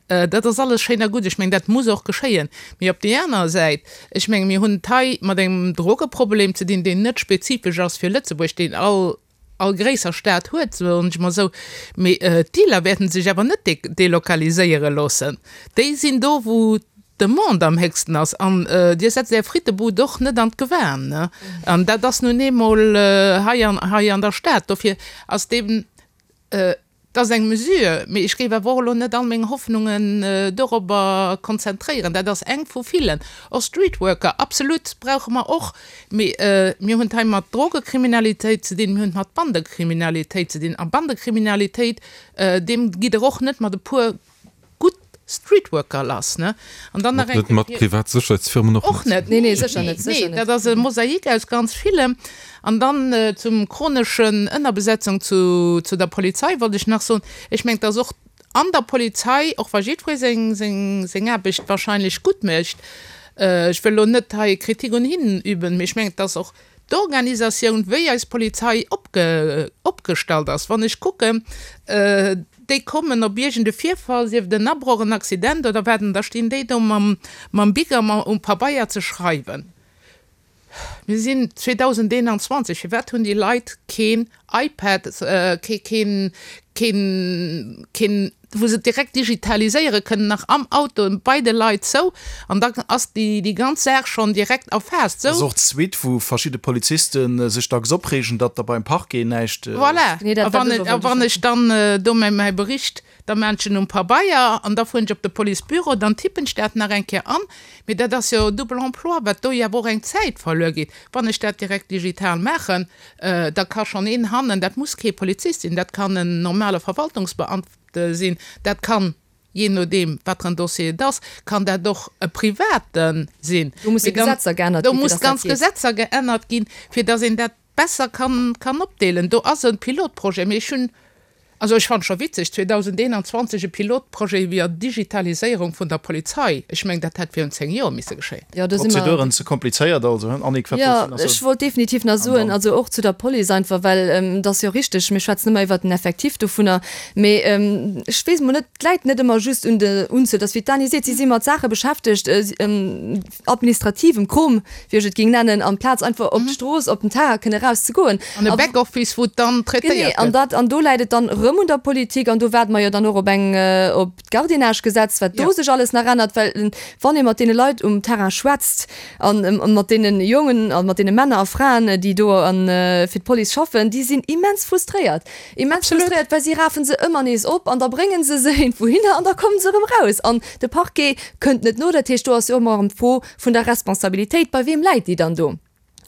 dat ass alles schéin a gutt. Ech mengen, dat muss och geschéien. Mee op déi aner Säit, ech menge mir hunn et hei mat engem Drogeproblem ze dinn, deen net spezifesch ass fir Lëtzebuerg, deen all all gréisser Stad huet, soen ech mol esou. Mee d'Dealer wäerten sech awer net delokaliséiere loossen. Déi sinn do, wou d'Demande am héchsten ass. An Dir setzt Är Frittebud och net an d'Gewan, ne? An dat ass nun eemol hei an hei an der Stad. Dofir ass deen, et ass eng Mesure, mee ech géif awer och elo net all meng Hoffnungen dorobber konzentréieren. Dat ass eng vu villen. Och Streetworker, absolut, brauche mer och. Mee mir hunn et hei mat Drogekriminalitéit ze dinn, mir hunn et mat Bandekriminalitéit ze dinn. A Bandekriminalitéit, deem gitt Der och net mat e puer gutt Streetworker lass, ne? An dann nach Och eng net mat Kéier. privat Sécherheetsfirmen och Och net. net. Nee, nee, sécher net, sécher Nee, net. dat ass e Mosaik aus ganz villem. An dann zum chroneschen Ënnerbesetzung zu, zu der Polizei wollt ech nach soen, ech mengen, dass och an der Polizei, och wa jiddweree seng, seng, seng Aarbecht wahrscheinlech gutt mécht, ech wëll elo net hei Kritik un hinnen üben, mee ech mengen, dass och d'Organisatioun, wéi eis Polizei opge, opgestallt ass, wann ech kucken, déi kommen op iergend e Virfall, sief et en Abroch, en Accident oder wat, an da stinn déi do mam, mam Bic a um Pabeier ze schreiwen. Mir sinn zweedausendeenanzwanzeg, firwat hunn déi Leit keen iPad, kee, keen, keen, keen, wou se et direkt digitaliséiere kënnen, nach am Auto bei de Leit sou, an da ass déi, déi ganz Saach schonn direkt erfaasst. Dat ass Sou. och d'Suite, wou verschidde Poliziste sech dacks opreegen, datt da beim Parquet näischt. Voilà. Nee, dat, A dat wann ass ech, och a wann ech dann do mäi, mäi Bericht da maan ech en um Pabeier an da fueren ech op de Policebüro, dann tippen ech dat nach eng Kéier an. Mee dat ass jo double emploi, wat do jo awer och eng Zäit verluer geet. Wann ech dat direkt digital maachen, da ka schonn een hannen, dat muss kee Polizist sinn, dat kann en normale Verwaltungsbeamte sinn, dat kann, jee nodeem wat fir en Dossier et ass, kann dat och e Private sinn. Do musse Mee dann, Gesetzer geännert do ginn, fir muss dass dat ganz geet. Gesetzer geännert ginn, fir dass een dat besser kann, kann opdeelen. Do ass e Pilotprojet, mee ech hunn, Also ech fannen scho witzeg, zweedausendeenanzwanzeg e Pilotprojet iwwer Digitaliséierung vun der Polizei, ech mengen dat hätt virun zéng Joer misse geschéien. Jo, do si mer. Prozeduren ze komplizéiert also, hein? Annick, wat Jo, wollts du nach ech soen? wollt definitiv nach An soen, dann. also och zu der Police einfach, well et ass jo richteg, mir schwätzen ëmmer iwwert den Effectif dovunner, mee ech weess emol net, et läit net ëmmer just un der Unzuel, et ass wéi d'Dany seet, si si mat Saache beschäftegt, administrativem Krom, wéi ech et géing nennen, amplaz einfach op d'Strooss, op den Terrain kënne erauszegoen. An e Backoffice, wou et dann Genee, traitéiert an gëtt. dat, an do läit et dann erëm un der Politik an do waarde mer jo dann och op eng, op d'Gardiennage-Gesetz, wat do Ja. sech alles nach ännert, well wann ee mat deene Leit um Terrain schwätzt an mat deene Jongen a mat deene Männer a Fraen, déi do an fir d'Police schaffen, déi sinn immens frustréiert, immens Absolut. frustréiert, well si rafen se ëmmer nees op an da brénge se se iergendwouhinner an da komme se erëm raus an de Parquet kënnt net no. Dat heescht, do ass jo och ëmmer erëm d'Fro vun der Responsabilitéit, bei weem läit déi dann do?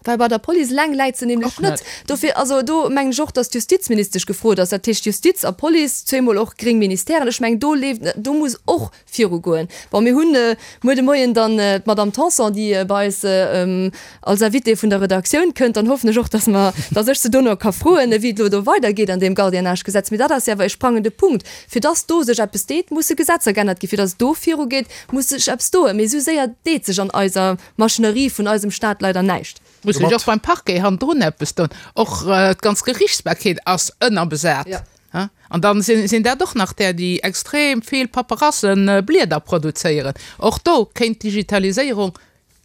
Well bei der Police eleng läit se nämlech Och net. net. Dofir, also do mengen ech och, datt d'Justizministesch gefrot ass, dat heescht Justiz a Police, zweemol och gréng Ministèren, ech mengen do leeft, do muss och virugoen. Bon, mir hunn muer de Moien dann d'Madame Tanson, déi bei eis als Invitée vun der Redaktioun kënnt, dann hoffen ech och, datt mer, datt ech se dono ka froen, wéi et elo do weidergeet an deem Gardiennage-Gesetz. Mee dat ass jo awer e sprangende Punkt. Fir datt do sech eppes deet, musse Gesetzer geännert ginn. Fir datt et do virugeet, muss sech eppes doen. Mee esou séier deet sech an eiser Maschinerie vun eisem Staat leider näischt. Muss sech och beim Parquet hannendrun eppes doen. Och d'ganz Gerichtsbarkeet ass ënnerbesat. An dann sinn dat och nach där, déi extrem vill Paperasseblieder produzéieren. Och do kéint d'Digitaliséierung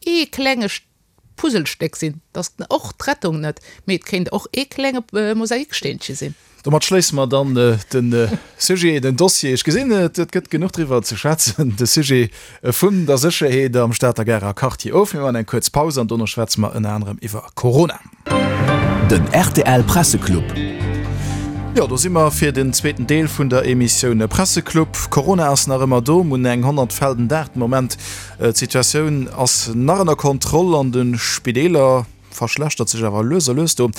ee klenge Puzzlestéck sinn. Dat ass och d'Rettung net, mee et kéint och ee klenge Mosaiksteenche sinn. Domat schléisse mer dann de Sujet, den Dossier, ech gesinn, et gëtt genuch driwwer ze schwätzen, de Sujet vun der Sécherheet am Stater Garer Quartier of. Mir maachen eng kuerz Paus an dono schwätze mer ënner anerem iwwer Corona. Den rtl Presseclub. Jo, do si mer fir den zweeten Deel vun der Emissioun Presseclub. Corona ass nach ëmmer do, mir hunn eng honnert Fäll den Dag de Moment. D'Situatioun ass nach ënner Kontroll an de Spideeler. Verschlechtert sech awer lues a lues. Do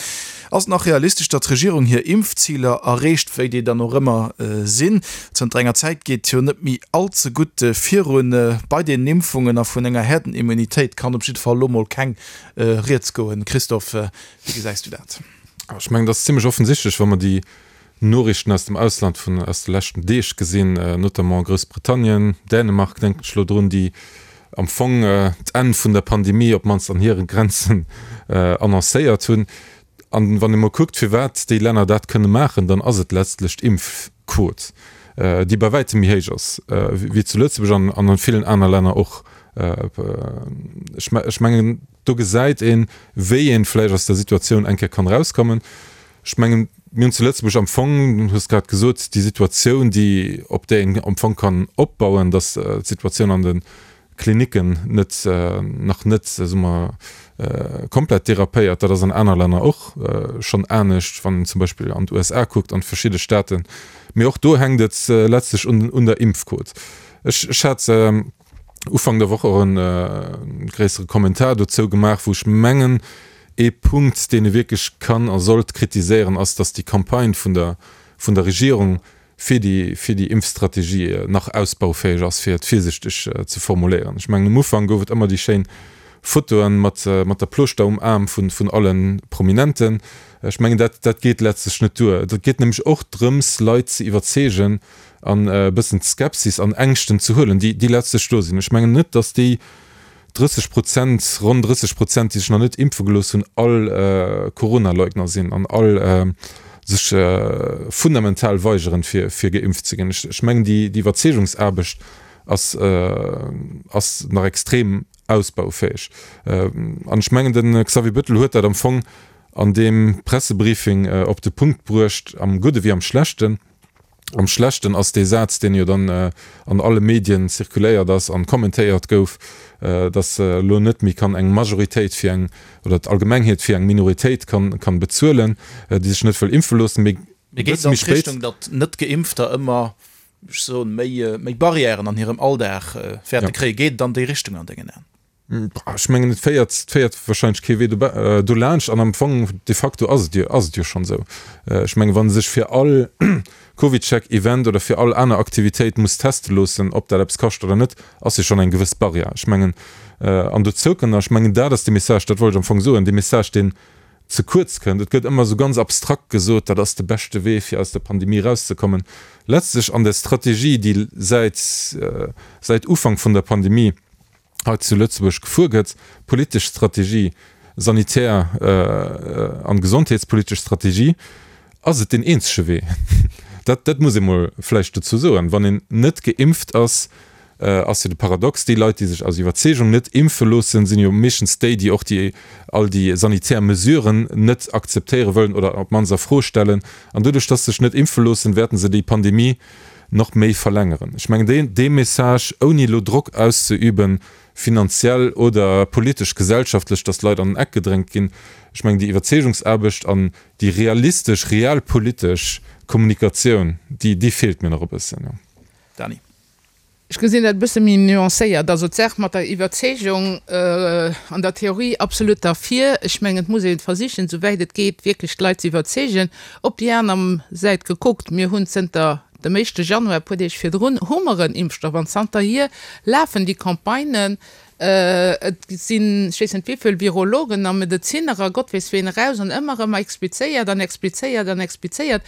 ass et nach realistesch, datt d'Regierung hir Impfziler erreecht, wéi déi dann och ëmmer sinn. Zënter enger Zäit geet jo net méi all ze gutt virun bei den Impfungen a vun enger Herdenimmunitéit kann op jidde Fall elo mol keng Rieds goen. Christophe, wéi gesäis du dat? Ech mengen, dat ass zimlech offensichtlech, wa mer déi Noriichten aus dem Ausland vun aus de leschten Deeg gesinn, notamment Groussbritannien, Dänemark denken ech elo drun, déi am Fong d'Enn vun der Pandemie op d'mannst an hire Grenzen annoncéiert hunn. An wann ee mol kuckt, firwat déi Länner dat kënne maachen, dann ass et letztlech d'Impfquot, déi bei wäitem méi héich ass wéi zu Lëtzebuerg an an villen aner Länner och. Ech mengen, do gesäit een, wéi een vläicht aus der Situatioun eng Kéier kann erauskommen. Ech mengen, mir hunn zu Lëtzebuerg am Fong, du hues grad gesot, déi Situatioun, déi, op där een am Fong kann opbauen, datt d'Situatioun an de Klinicken net, nach net, soe mer, komplett derapéiert. Dat ass an aner Länner och schonn anescht, wann een zum Beispill an d'USA kuckt, an verschidde Staaten. Mee och do hänkt et letztlech un, un der Impfquot. Ech, ech hat Ufank der Woch och e gréissere Kommentar dozou gemaach, wou ech mengen, ee Punkt, deen ee wierklech kann a sollt kritiséieren, ass, datt déi Campagne vun der, vun der Regierung fir déi, fir déi Impfstrategie nach ausbaufäeg ass, fir et virsichteg ze formuléieren. Ech mengen, um Ufank gouf et ëmmer déi schéin Fotoen mat, mat der Plooschter um Aarm vun, vun alle Prominenten. Ech mengen, dat, dat geet letztlech net duer. Et geet nämlech och drëms, Leit ze iwwerzeegen an e bëssen d'Skepsis an Ängschten ze huelen, déi, déi letztlech do sinn. Ech mengen net, datt déi drësseg Prozent, ronn drësseg Prozent, déi sech nach net impfe gelooss hunn, all Coronaleugner sinn an all sech fundamental weigeren, fir, fir geimpft ze ginn. Ech, ech mengen, déi, déi Iwwerzeegungsaarbecht ass, ass nach extrem ausbaufäeg. An ech mengen, de Xavier Bettel huet dat am Fong an deem Pressebriefing op de Punkt bruecht, am Gudde wéi am Schlechten. Am Schlechten ass dee Saz, deen jo dann an alle Medien zirkuléiert ass an kommentéiert gouf, datt elo net méi kann eng Majoritéit fir eng, oder d'Allgemengheet fir eng Minoritéit kann, kann bezuelen, déi sech net wëll impfe loossen. Mee Mee geet et an d'Richtung, datt Net-Geimpfter ëmmer, ech soen, méi, méi Barrièren an hirem Alldag wäerte kréien? Geet et an déi Richtung an dengen Aen? Ech mengen, et féiert, et féiert wahrscheinlech kee Wee dolaanscht. An am Fong, de facto ass et jo, ass et jo schonn esou. Ech mengen, wa sech fir all CovidCheck-Event oder fir all aner Aktivitéit muss teste loossen, ob dat eppes kascht oder net, ass jo schonn eng gewëss Barrière. Ech mengen, an dozou kënnt nach, ech mengen, dat ass de Message, dat wollt ech am Fong soen, dee Message, deen, ze kuerz kënnt. Et gëtt ëmmer esou ganz abstrakt gesot, dat ass de beschte Wee, fir aus der Pandemie erauszekommen. Letztlech an der Strategie, déi säit, säit Ufank vun der Pandemie hei zu Lëtzebuerg gefuer gëtt, politesch Strategie, sanitär an gesondheetspolitesch Strategie, ass et deen eenzege Wee. Dat, dat muss ee mol vläicht dozou soen. Wann een net geimpft ass, ass jo de Paradox, déi Leit, déi sech aus Iwwerzeegung net impfe loossen, sinn jo meeschtens déi, déi och déi, all déi sanitär Mesuren net akzeptéiere wëllen oder op d'mannst a Fro stellen. An doduerch, dass se sech net impfe loossen, wäerten se déi Pandemie nach méi verlängeren. Ech mengen, deen, dee Message, ouni elo Drock auszeüben, finanziell oder politesch, gesellschaftlech, dass d'Leit an den Eck gedrängt ginn, ech mengen, déi Iwwerzeegungsaarbecht an déi realistesch, realpolitesch Kommunikatioun, déi, déi feelt mir nach e bëssen. Dany. Ech gesinn dat e bësse méi nuancéiert. Also d'Saach mat der Iwwerzeegung, an der Theorie absolut derfir. Ech mengen, et muss ee versichen, souwäit et geet, wierklech d'Leit ze iwwerzeegen. Op déi aner Säit gekuckt, mir hunn zënter dem éischte Januar, e puer Deeg virdrun, hu mer en Impfstoff an zanterhier lafen déi Campagnen. Et sinn, ech weess net wéivill Virologen a Medezinner a Gott weess ween eraus an ëmmer erëm explizéiert an explizéiert an explizéiert.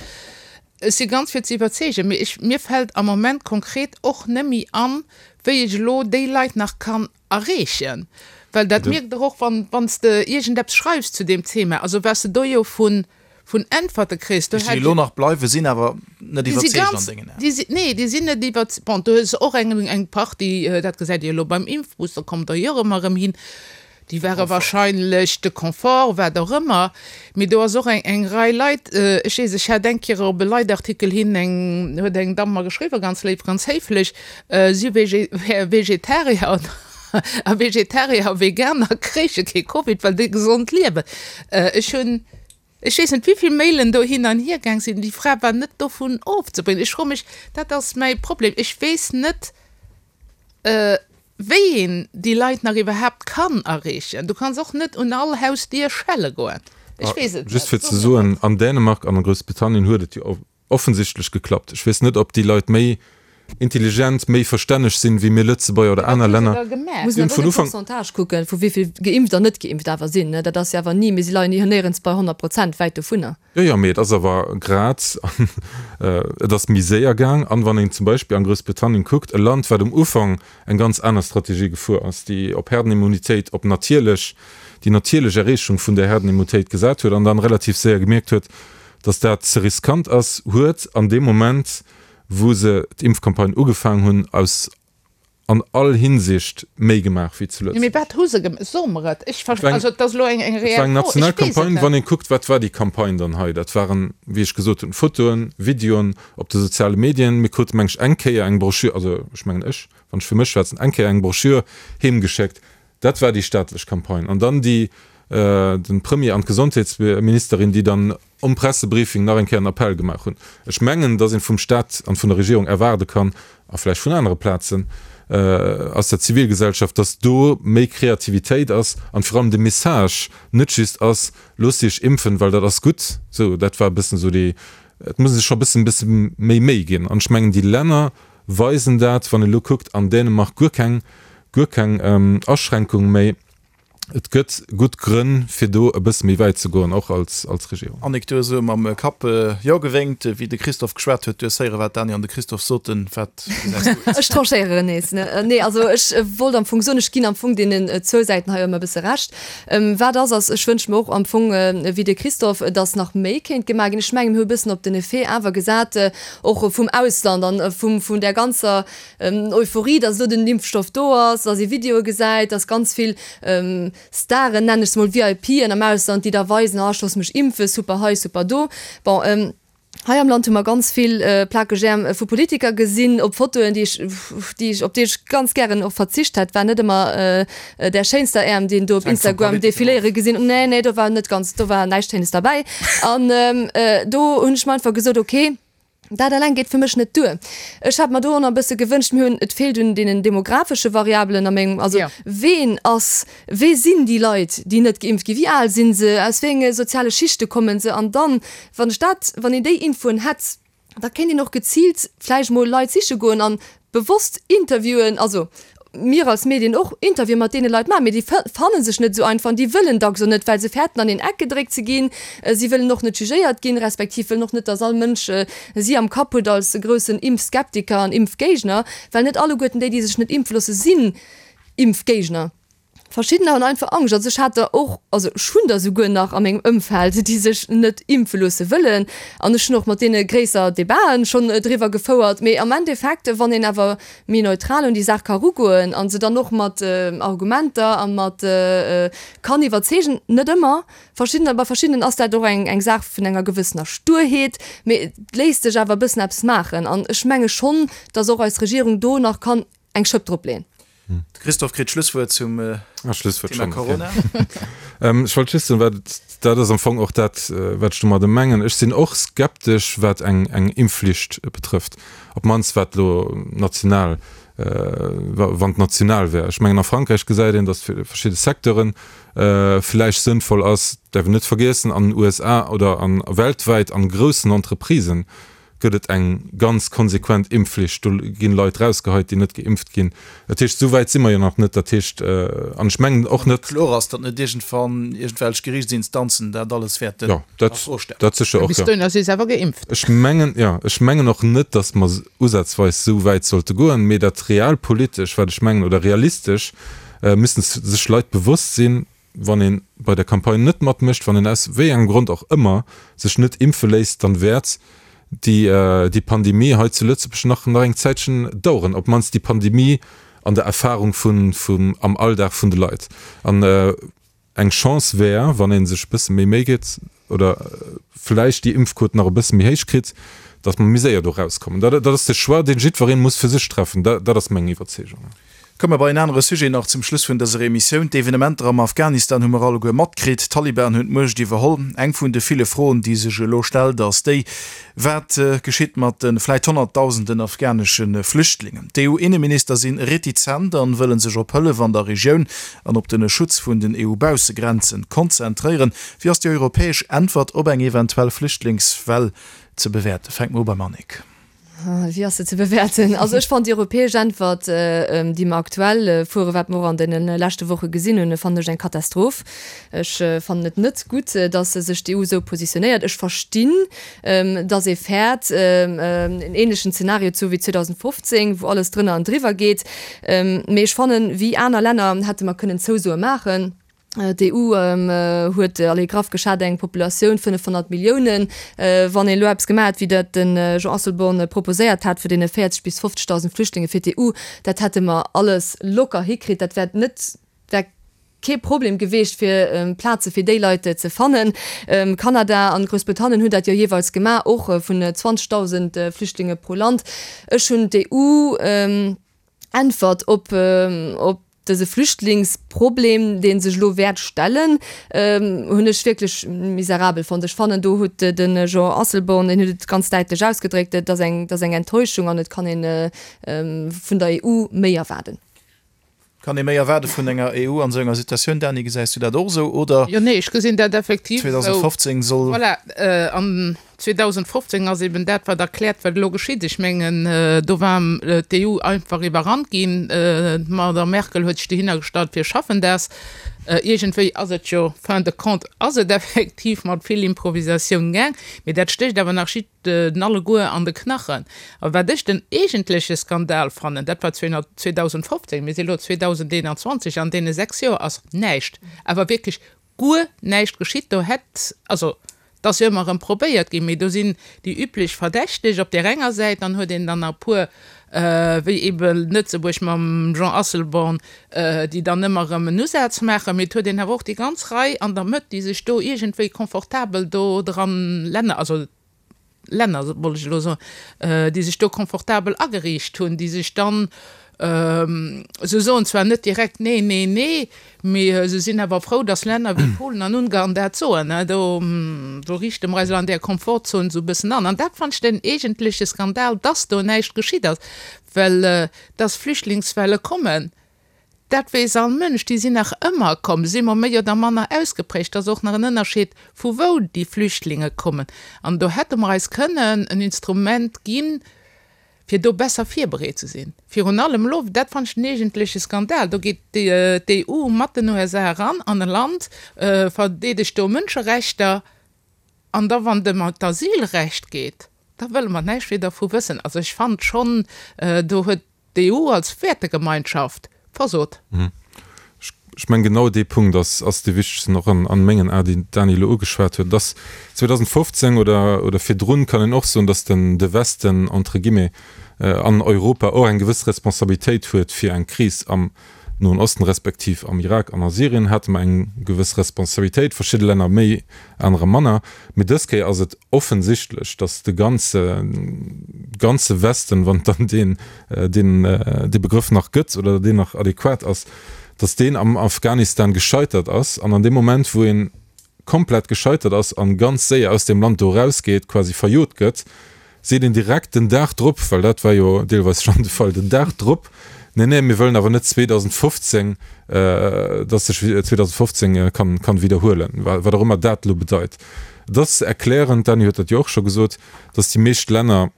Ech si ganz fir ze iwwerzeegen, mee ech, mir fält am Moment konkret och nëmmi an, wéi ech elo déi Leit nach kann erreechen. Well dat mierkt Der och, wann, wann s de iergendeppes schreifs zu deem Thema, also wat s de do jo vun, vun Äntwerte kriss, do Déi hätt elo nach bleiwen, sinn awer net Déi si iwwerzeegt an ganz, dengen Aen. déi si, nee, déi sinn net iwwerz-, bon, do hues de och eng, eng Partie, dat gesäit Dir elo beim Impfbus, do kommt Der jo och ëmmer erëm hin, déi ware wahrscheinlech de Confort, wat och ëmmer, mee do ass och eng, eng Rei Leit, ech weess, ech hat eng Kéier op e Leitartikel hin eng, huet eng Damm mer geschriwwen, ganz léif, ganz héiflech, si wär Vegetarier a Vegetarier a Veganer kréiche kee Covid, well déi gesond liewen. Ech hunn, ech weess net wéivill Mailen do hin an hier gaang sinn, déi Fra war net dovun ofzebréngen. Ech froe mech, dat ass mäi Problem, ech weess net, wéi een déi Leit nach iwwerhaapt kann erreechen. Du kanns och net un all Hausdier schelle goen. Ech weess et Just net. fir ze soen, an Dänemark an a Groussbritannien huet et jo offensichtlech geklappt. Ech weess net, ob déi Leit méi intelligent, méi verstänneg sinn, wéi mir Lëtzebuerger oder Mee wat aner hu se Länner. da gemaach? Muss Si een hunn awer vun och de Ufank. Pourcentage kucken, vu wéi vill geimpft an net geimpft awer sinn. Dat ass jo awer ni, mir si leien jo néierens bei honnert Prozent, wäit dovunner. Jo, jo, mee et ass awer grad, et ass méi séier gaang. An wann een zum Beispill an Groussbritannien kuckt, e Land, wat um Ufank eng ganz aner Strategie gefuer ass, déi op Herdenimmunitéit, op natierlech, déi natierlech Erreechung vun där Herdenimmunitéit gesat huet an dann relativ séier gemierkt huet, dass dat ze riskant ass, huet an deem Moment, wou se d'Impfcampagne ugefaangen hunn, aus an all Hinsicht méi gemaach wéi zu Jo, mee Lëtzebuerg. wat hu se gemaach? So mer et. Ech Et war ver-, eng, also et ass elo eng, eng et war reell eng Fro. Ech national weess et Campagne. net. Wann ee kuckt, wat war déi Campagne dann hei? Dat waren, wéi ech gesot hunn, Fotoen, Videoen op de soziale Medien. Mir krute meng ech eng Kéier eng Broschür, also ech mengen ech, wann ech fir mech schwätzen, eng Kéier eng Broschür heemgeschéckt. Dat war déi staatlech Campagne. An dann déi, den Premier an d'Gesondheetsministerin, déi dann um Pressebriefing nach eng Kéier en Appell gemaach hunn. Ech mengen, datt een vum Staat an vun der Regierung erwaarde kann, a vläicht vun anere Plazen aus der Zivilgesellschaft, datt do méi Kreativitéit ass an virun allem de Message net just ass, Loosst Iech impfen, well dat ass gutt. Sou, dat war e bëssen esou déi, et muss ee sech scho e bëssen, bësse méi Méi ginn. An ech mengen, déi Länner weisen dat, wann een elo kuckt, an Dänemark guer keng, guer keng Aschränkung méi. Et gëtt gutt Grënn, fir do e bësse méi wäit ze goen, och als Regierung. Annick, du hues esou mam Kapp Jo gewénkt, wéi de Christophe geschwat huet. Du hues héieren, wat d'Dany an de Christophe soten. Wat gesäis du et? Ech tranchéieren nees. Nee, also ech wollt am Fong soen, ech ginn am Fong deenen zwou Säiten hei ëmmer e bësse Recht. Wat ass, ass, ech wënsche mer och am Fong wéi de Christophe, dass nach méi kéint gemaach ginn. Ech mengen, mir hu e bëssen op den Effet awer gesat, och vum Ausland an vum, vun där ganzer Euphorie, dass elo den Impfstoff do ass, dass ee Videoe gesäit, dass ganz vill Staren, nennen ech se mol, VIPen am Ausland, déi da weisen, ah ech loosse mech impfen, super hei, super do. Bon, hei am Land hu mer ganz vill plakeg Äerm vu Politiker gesinn op Fotoen, déi ech, déi ech, op déi ech ganz gären och verzicht hätt. War net ëmmer där schéinster Äerm, déi een do op Hänkt vum Instagram Politiker of. defiléiere gesinn. Nee, nee, do war net ganz, do war näischt Schéines derbäi. An do hunn ech mer einfach gesot, okay, Dat eleng geet fir mech net duer. Ech hätt mer do och nach e bësse gewënscht, mir hunn, et feelt un deenen demographesche Variabelen a mengem, also ween ass, wee sinn déi Leit, déi net geimpft ginn, wéi al si se, aus wéi enge soziale Schichte kommen se? An dann, wann ech dat, wann een déi Infoen hätt, da kéint een och geziilt vläicht mol Leit siche goen an bewosst interviewen, also mir als Medien och Interviewe mat deene Leit maachen, mee déi fanne sech net esou einfach an déi wëllen dacks och net, well se fäerten an een Eck gedréckt ze ginn. Si wëllen och net jugéiert ginn, respektiv wëllen och net, datt all Mënsch si am Kapp huet als groussen Impfskeptiker an Impfgéigner, well net alleguerten déi, déi sech net impfe loosse, sinn Impfgéigner. Verschiddener hunn einfach Angscht. Also ech hat der och, also ech hunn der souguer nach a mengem Ëmfeld, déi sech net impfe loosse wëllen. An ech hunn och mat deene gréisser Debaten schonn driwwer gefouert. Mee am Endeffekt, wann een awer méi neutral un déi Saach ka erugoen a se dann och mat Argumenter a mat kann iwwerzeegen, net ëmmer, verschiddener, bei verschiddenen ass dat och eng eng Saach vun enger gewëssener Sturheet, mee et léisst sech awer e bëssen eppes maachen. An ech menge schonn, datt och eis Regierung do nach kann eng Schëpp dropleeën. De Christophe kritt d'Schlusswuert zum Thema Corona. Ech wollt just soen, wat dat ass am Fong och dat, wat ech domadder mengen. Ech sinn och skeptesch, wat eng eng Impfflicht betrëfft, op d'mannst wat elo national, wann et national wär. Ech mengen, a Frankräich gesäit een, datt fir verschidde Secteure vläicht sënnvoll ass. Däerf een net vergiessen, an den U S A oder a weltwäit an groussen Entreprisen gëtt et eng ganz konsequent Impfflicht. Do ginn Leit rausgeheit, déi net geimpft ginn. Dat heescht, esou wäit si mer jo nach net. Dat heescht, an ech mengen och net. Kloer ass, datt net iergendwann iergendwelch Geriichtsinstanzen dat alles wäerten a Fro stellen. Jo, dat sécher och, jo. Bis dohinner si se awer geimpft. Ech mengen, jo, ech mengen och net, datt mer usazweis esou wäit sollte goen, mee dat realpolitesch, wat ech mengen, oder realistesch, müssen sech Leit bewosst sinn, wann ee bei der Campagne net matmécht, wann een aus wéi engem Grond och ëmmer sech net impfe léisst, dann wäert déi déi Pandemie hei zu Lëtzebuerg nach nach eng Zäitchen daueren, op d'mannst déi Pandemie an der Erfahrung vun vum am Alldag vun de Leit. An eng Chance wär, wann ee sech e bësse méi Méi gétt oder vläicht déi Impfquot nach e bësse méi héich kritt, datt mer méi séier do rauskommen. Dat dat ass de Choix, deen jiddweree muss fir sech treffen. Dat dat ass meng Iwwerzeegung. Komme mer bei en anere Sujet nach zum Schluss vun dëser Emissioun. D'Evenementer am Afghanistan hu mer alleguer matkritt. D'Taliban hunn d'Muecht iwwerholl. Eng vun de ville Froen, déi sech elo stellt, ass déi, Wat geschitt mat de vläit Honnertdausenden afghanesche Flüchtlingen? D'EU-Inneminister si retizent an wëlle sech op Hëllef an der Regioun an op de Schutz vun den EU-Baussegrenzen konzentréieren. Wéi ass déi europäesch Äntwert op eng eventuell Flüchtlingswell ze bewäerten? Fänke mer u beim Annick. Wéi ass se ze bewäerten? Also ech fannen déi europäesch Äntwert, déi mer aktuell fueren, wat mer och an deene leschte Woche gesinn hunn, fannen ech eng Katastroph. Ech fannen et net gutt, datt sech d'E U esou positionéiert. Ech verstinn, datt ee fäert, en ähnlechen Zeenario ze hu wéi zweedausendfofzéng, wou alles drënner an driwwer geet. Mee ech fannen, wéi aner Länner hätte mer kënnen Zousoe maachen. D'E U huet, allez, graff geschat, eng Populatioun fënnefhonnert Milliounen. Wann een elo eppes gemaach hätt, wéi dat de Jean Asselborn proposéiert hat, fir deene véierzeg bis fofzegdausend Flüchtlinge fir d'E U, dat hätte mer alles locker hikritt. Dat wär net, wär kee Problem geweecht, fir Plaze fir déi Leit ze fannen. Kanada an Groussbritannien hunn dat jo jeeweils gemaach, och vun zwanzegdausend Flüchtlinge pro Land. Ech hunn d'E U Äntwert op op dëse Flüchtlingsproblem, dee sech elo wäert stellen, hunn ech wierklech miserabel fonnt. Ech fannen, do huet de Jean Asselborn, deen huet et ganz däitlech ausgedréckt, et ass eng, et ass eng Enttäuschung an et kann ee vun der E U méi erwaarden. Kann ee méi erwaarde vun enger E U an esou enger Situatioun? Dany, gesäis du dat och esou, oder? Jo, nee, ech gesinn dat effektiv esou. zweedausendfofzéng soll. Voilà, an zweedausendfofzéng ass eben dat, wat erkläert, wat elo geschitt. Ech mengen, do war d'E U einfach iwwerrannt ginn. D'Madame Merkel huet sech dohinner gestallt, Wir schaffen das. Iergendwéi ass et jo, fin de compte ass et effektiv mat vill Improvisatioun gaang. Mee dat stécht awer nach jiddden alleguer an de Knachen. A wat ech den eegentleche Skandal fannen, dat war zweedausendfofzéng, mir si elo zweedausendeenanzwanzeg, an deene sechs Joer ass näischt, awer wierklech guer näischt geschitt. Do hätt, also et ass jo ëmmer erëm probéiert ginn, mee do sinn déi üblech Verdächteg op där enger Säit, dann huet een dann nach e puer, wéi ebe Lëtzebuerg mam Jean Asselborn, déi dann ëmmer erëm en Usaz maachen, mee et huet een awer och déi ganz Rei an der Mëtt, déi sech do iergendwéi confortabel do dran, Länner, also Länner wollt ech elo soen, déi sech do confortabel ageriicht hunn, déi sech dann, se soen zwar net direkt nee, nee, nee, mee se sinn awer frou, datt Länner wéi Polen an Ungarn dat soen. Do, do riichte mer eis elo an där Komfortzon esou e bëssen an. An dat fannen ech den eegentleche Skandal, datt do näischt geschitt ass, well datt Flüchtlingswelle kommen, dat weess all Mënsch, déi sinn nach ëmmer komm, si mol méi oder manner ausgeprägt. Et ass och nach en Ënnerscheed, vu wou déi Flüchtlinge kommen. An do hätte mer eis kënnen en Instrument ginn, fir do besser virbereet ze sinn. Virun allem elo, dat fannen ech den eegentleche Skandal, do geet d'E U mat den U S A eran an e Land, verdeedegt do Mënscherechter, an da wann et ëm d'Asylrecht geet, da wëlle mer näischt méi dervu wëssen. Also ech fannen schonn, do huet d'E U als Wäertegemeinschaft versot. Ech mengen, genau dee Punkt ass, ass dee wichtegsten och an, an mengen Aen, deen d'Dany elo ugeschwat huet. Dass zweedausendfofzéng oder, oder virdrun kann een och soen, dass den, de Westen, entre guillemets, an Europa och eng gewëss Responsabilitéit huet fir eng Kris am Noen Osten respektiv am Irak an a Syrien hate mer eng gewëss Responsabilitéit, verschidde Länner méi, anerer manner. Mee dës Kéier ass et offensichtlech, dass de ganze, ganze Westen, wann et dann deen, deen, dee Begrëff nach gëtt oder deen nach adequat ass, dass deen am Afghanistan gescheitert ass an an deem Moment, wou een komplett gescheitert ass an ganz séier aus deem Land do erausgeet, quasi verjot gëtt, seet een direkt den Dag drop, well dat war jo deelweis schonn de Fall, den Dag drop, Nee, nee, mir wëllen awer net zweedausendfofzéng, dass sech zweedausendfofzéng kann, kann widderhuelen, wat och ëmmer dat elo bedeit. Et ass erklärend, d'Dany huet dat jo och scho gesot, dass déi meescht Länner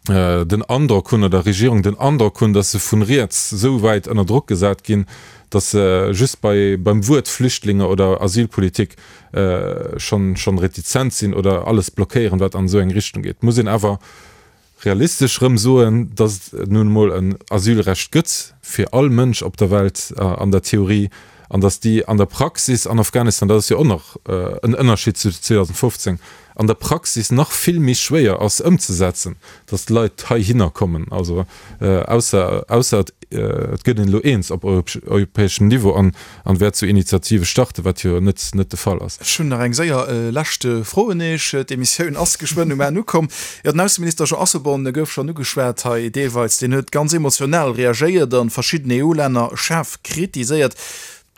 den Androck hunn, oder Regierung den Androck hunn, dass se vun riets esou wäit ënner Drock gesat ginn, dass se just bei, beim Wuert Flüchtlinge oder Asylpolitik schonn, schonn retizent sinn oder alles blockéieren, wat an esou eng Richtung geet. Et muss een awer realistesch erëm soen, dass et nun emol en Asylrecht gëtt fir all Mënsch op der Welt an der Theorie an dass déi an der Praxis an Afghanistan, dat ass jo och nach en Ënnerschied zu zweedausendfofzéng, an der Praxis nach vill méi schwéier ass ëmzesetzen, dass d'Leit heihinner kommen. Also ausser, ausser et gëtt een elo eens op europäeschem Niveau an an wäert sou Initiative starten, wat jo net net de Fall ass. Ech hunn nach eng séier lescht Fro un Iech. D'Emissioun ass geschwënn um Enn ukomm. Jo, den Ausseminister Jean Asselborn gouf schonn ugeschwat hei deelweis. Deen huet ganz emotional reagéiert an verschidden E U-Länner schaarf kritiséiert.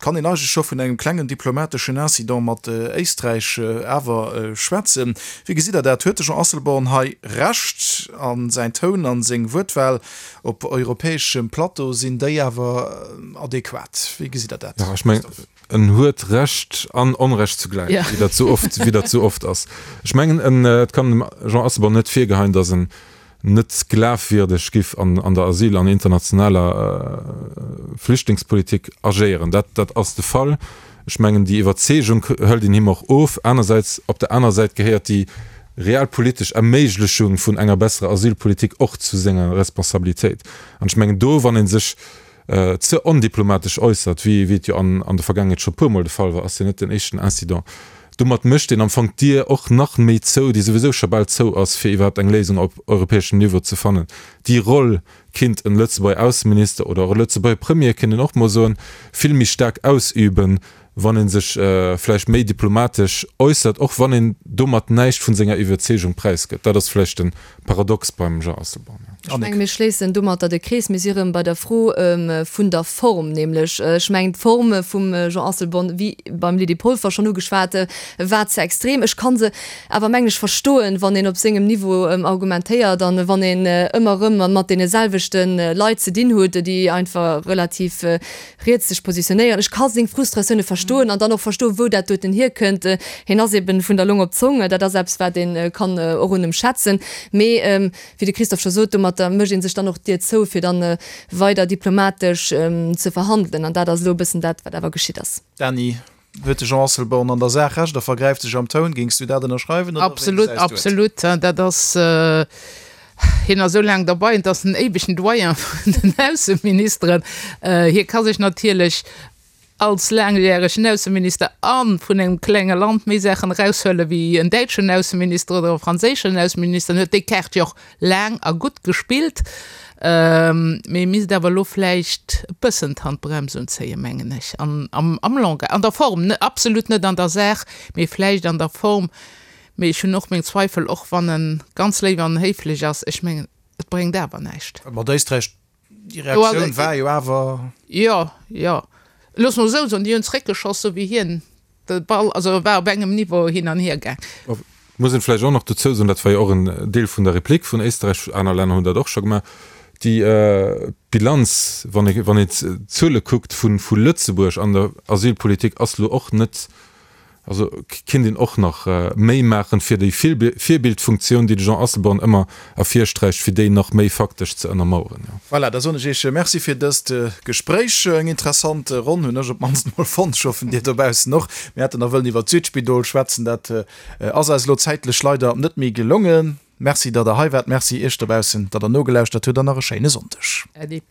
Kann een eigentlech scho vun engem klengen diplomateschen Incident mat Éisträich awer schwätzen? Wéi gesitt Der dat? Huet de Jean Asselborn hei Recht? A säin Toun a seng Wuertwahl op europäeschem Plateau, sinn déi awer adequat? Wéi gesitt Der dat, Jo, ech mengen, Christophe? en huet Recht an Onrecht zugläich, wéi dat sou oft, wéi dat sou oft ass. Ech mengen, en, et kann dem Jean Asselborn net virgeheien, datt en net glafwierdeg giff an der Asyl an internationaler Flüchtlingspolitik agéieren. Dat, dat ass de Fall. Ech mengen, déi Iwwerzeegung hëlt een him och of. Anersäits, op der anerer Säit gehéiert déi realpolitesch Erméiglechung vun enger besserer Asylpolitik och zu senger Responsabilitéit. An ech mengen, do, wann ee sech ze ondiplomatesch äussert, wéi et jo an der Vergaangenheet scho puermol de Fall war, ass jo net den éischten Incident, domat mécht een am Fong d'Dier och nach méi zou, déi souwisou scho bal zou ass, fir iwwerhaapt eng Léisung op europäeschem Niveau ze fannen. Déi Roll kinnt en Lëtzebuerger Ausseminister oder och e Lëtzebuerger Premier, kinnt een och mol soen, vill méi staark ausüben, wann ee sech vläicht méi diplomatesch äussert, och wann een domat näischt vun senger Iwwerzeegung präisgëtt. Dat ass vläicht de Paradox beim Jean Asselborn. Ech menge mir schléissen domatter de Krees. Mir si erëm bei der Fro vun der Form, nämlech, ech mengen d'Form vum Jean Asselborn, wéi beim Lydie Polfer schonn ugeschwat, war ze extrem. Ech ka se awer, mengen ech, verstoen, wann een op sengem Niveau argumentéiert an wann een ëmmer erëm mat deene selwechte Leit ze dinn huet, déi einfach relativ riets sech positionéieren. Ech ka seng Frustratioune verstoen an dann och verstoen, wou dat doten hierkënnt. Hien ass eben vun der Long op d'Zong. Dat ass eppes, wat ee kann och un em schätzen. Mee wéi de Christophe scho sot, domatter mécht ee sech dann och d'Dier zou, fir dann weider diplomatesch ze verhandelen. An dat ass elo e bëssen dat, wat awer geschitt ass. Dany, huet de Jean Asselborn an der Saach Recht a vergräift sech am Toun? Géings du dat ënnerschreiwen oder wéi Absolut, gesäis du et? Absolut. Dat ass, hien ass esou laang derbei, et ass den éiwegen Doyen vun den Ausseministeren. Hie ka sech natierlech als laangjäregen Ausseminister a vun engem klenge Land méi Saachen eraushuele wéi en däitschen Ausseminister oder e franséischen Ausseminister. En huet déi Kaart jo och laang a gutt gespillt. Mee e misst awer elo vläicht e bëssen d'Handbrems unzéien, mengen ech, an am Langage, an der Form, absolut net an der Saach, mee vläicht an der Form. Mee ech hunn och meng Zweifel, och wann e ganz léif an héiflech ass, ech mengen, et bréngt awer näischt. Mat Éisträich, déi Reaktioun war jo awer. Jo, jo. Looss mer esou soen, déi hunn zréckgeschoss, esou wéi hien de Ball, also e war op engem Niveau hin an hier gaang. Et muss een vläicht och nach dozou soen, dat war jo och en Deel vun der Replik vun Éisterräich, aner Länner hunn dat och scho gemaach, déi Bilanz, wann ee wann een d'Zuele kuckt vu vu Lëtzebuerg an der Asylpolitik, ass elo och net Also kinnt een och nach méi maachen, fir déi Virbildfunktioun, déi de Jean Asselborn ëmmer ervirsträicht, fir déi nach méi faktesch ze ënnermaueren. Voilà, da soen ech Iech Merci fir dëst Gespréich. Eng interessant Ronn hunn ech op d'mannst emol fonnt. Ech hoffen, Dir dobaussen och. Mir hätten nach wëllen iwwert d'Südspidol schwätzen, dat ass eis elo zäitlech leider net méi gelongen. Merci, datt Der hei waart. Merci Iech dobaussen, datt Der nogelauschtert hutt an nach e schéine Sonndeg. Äddi.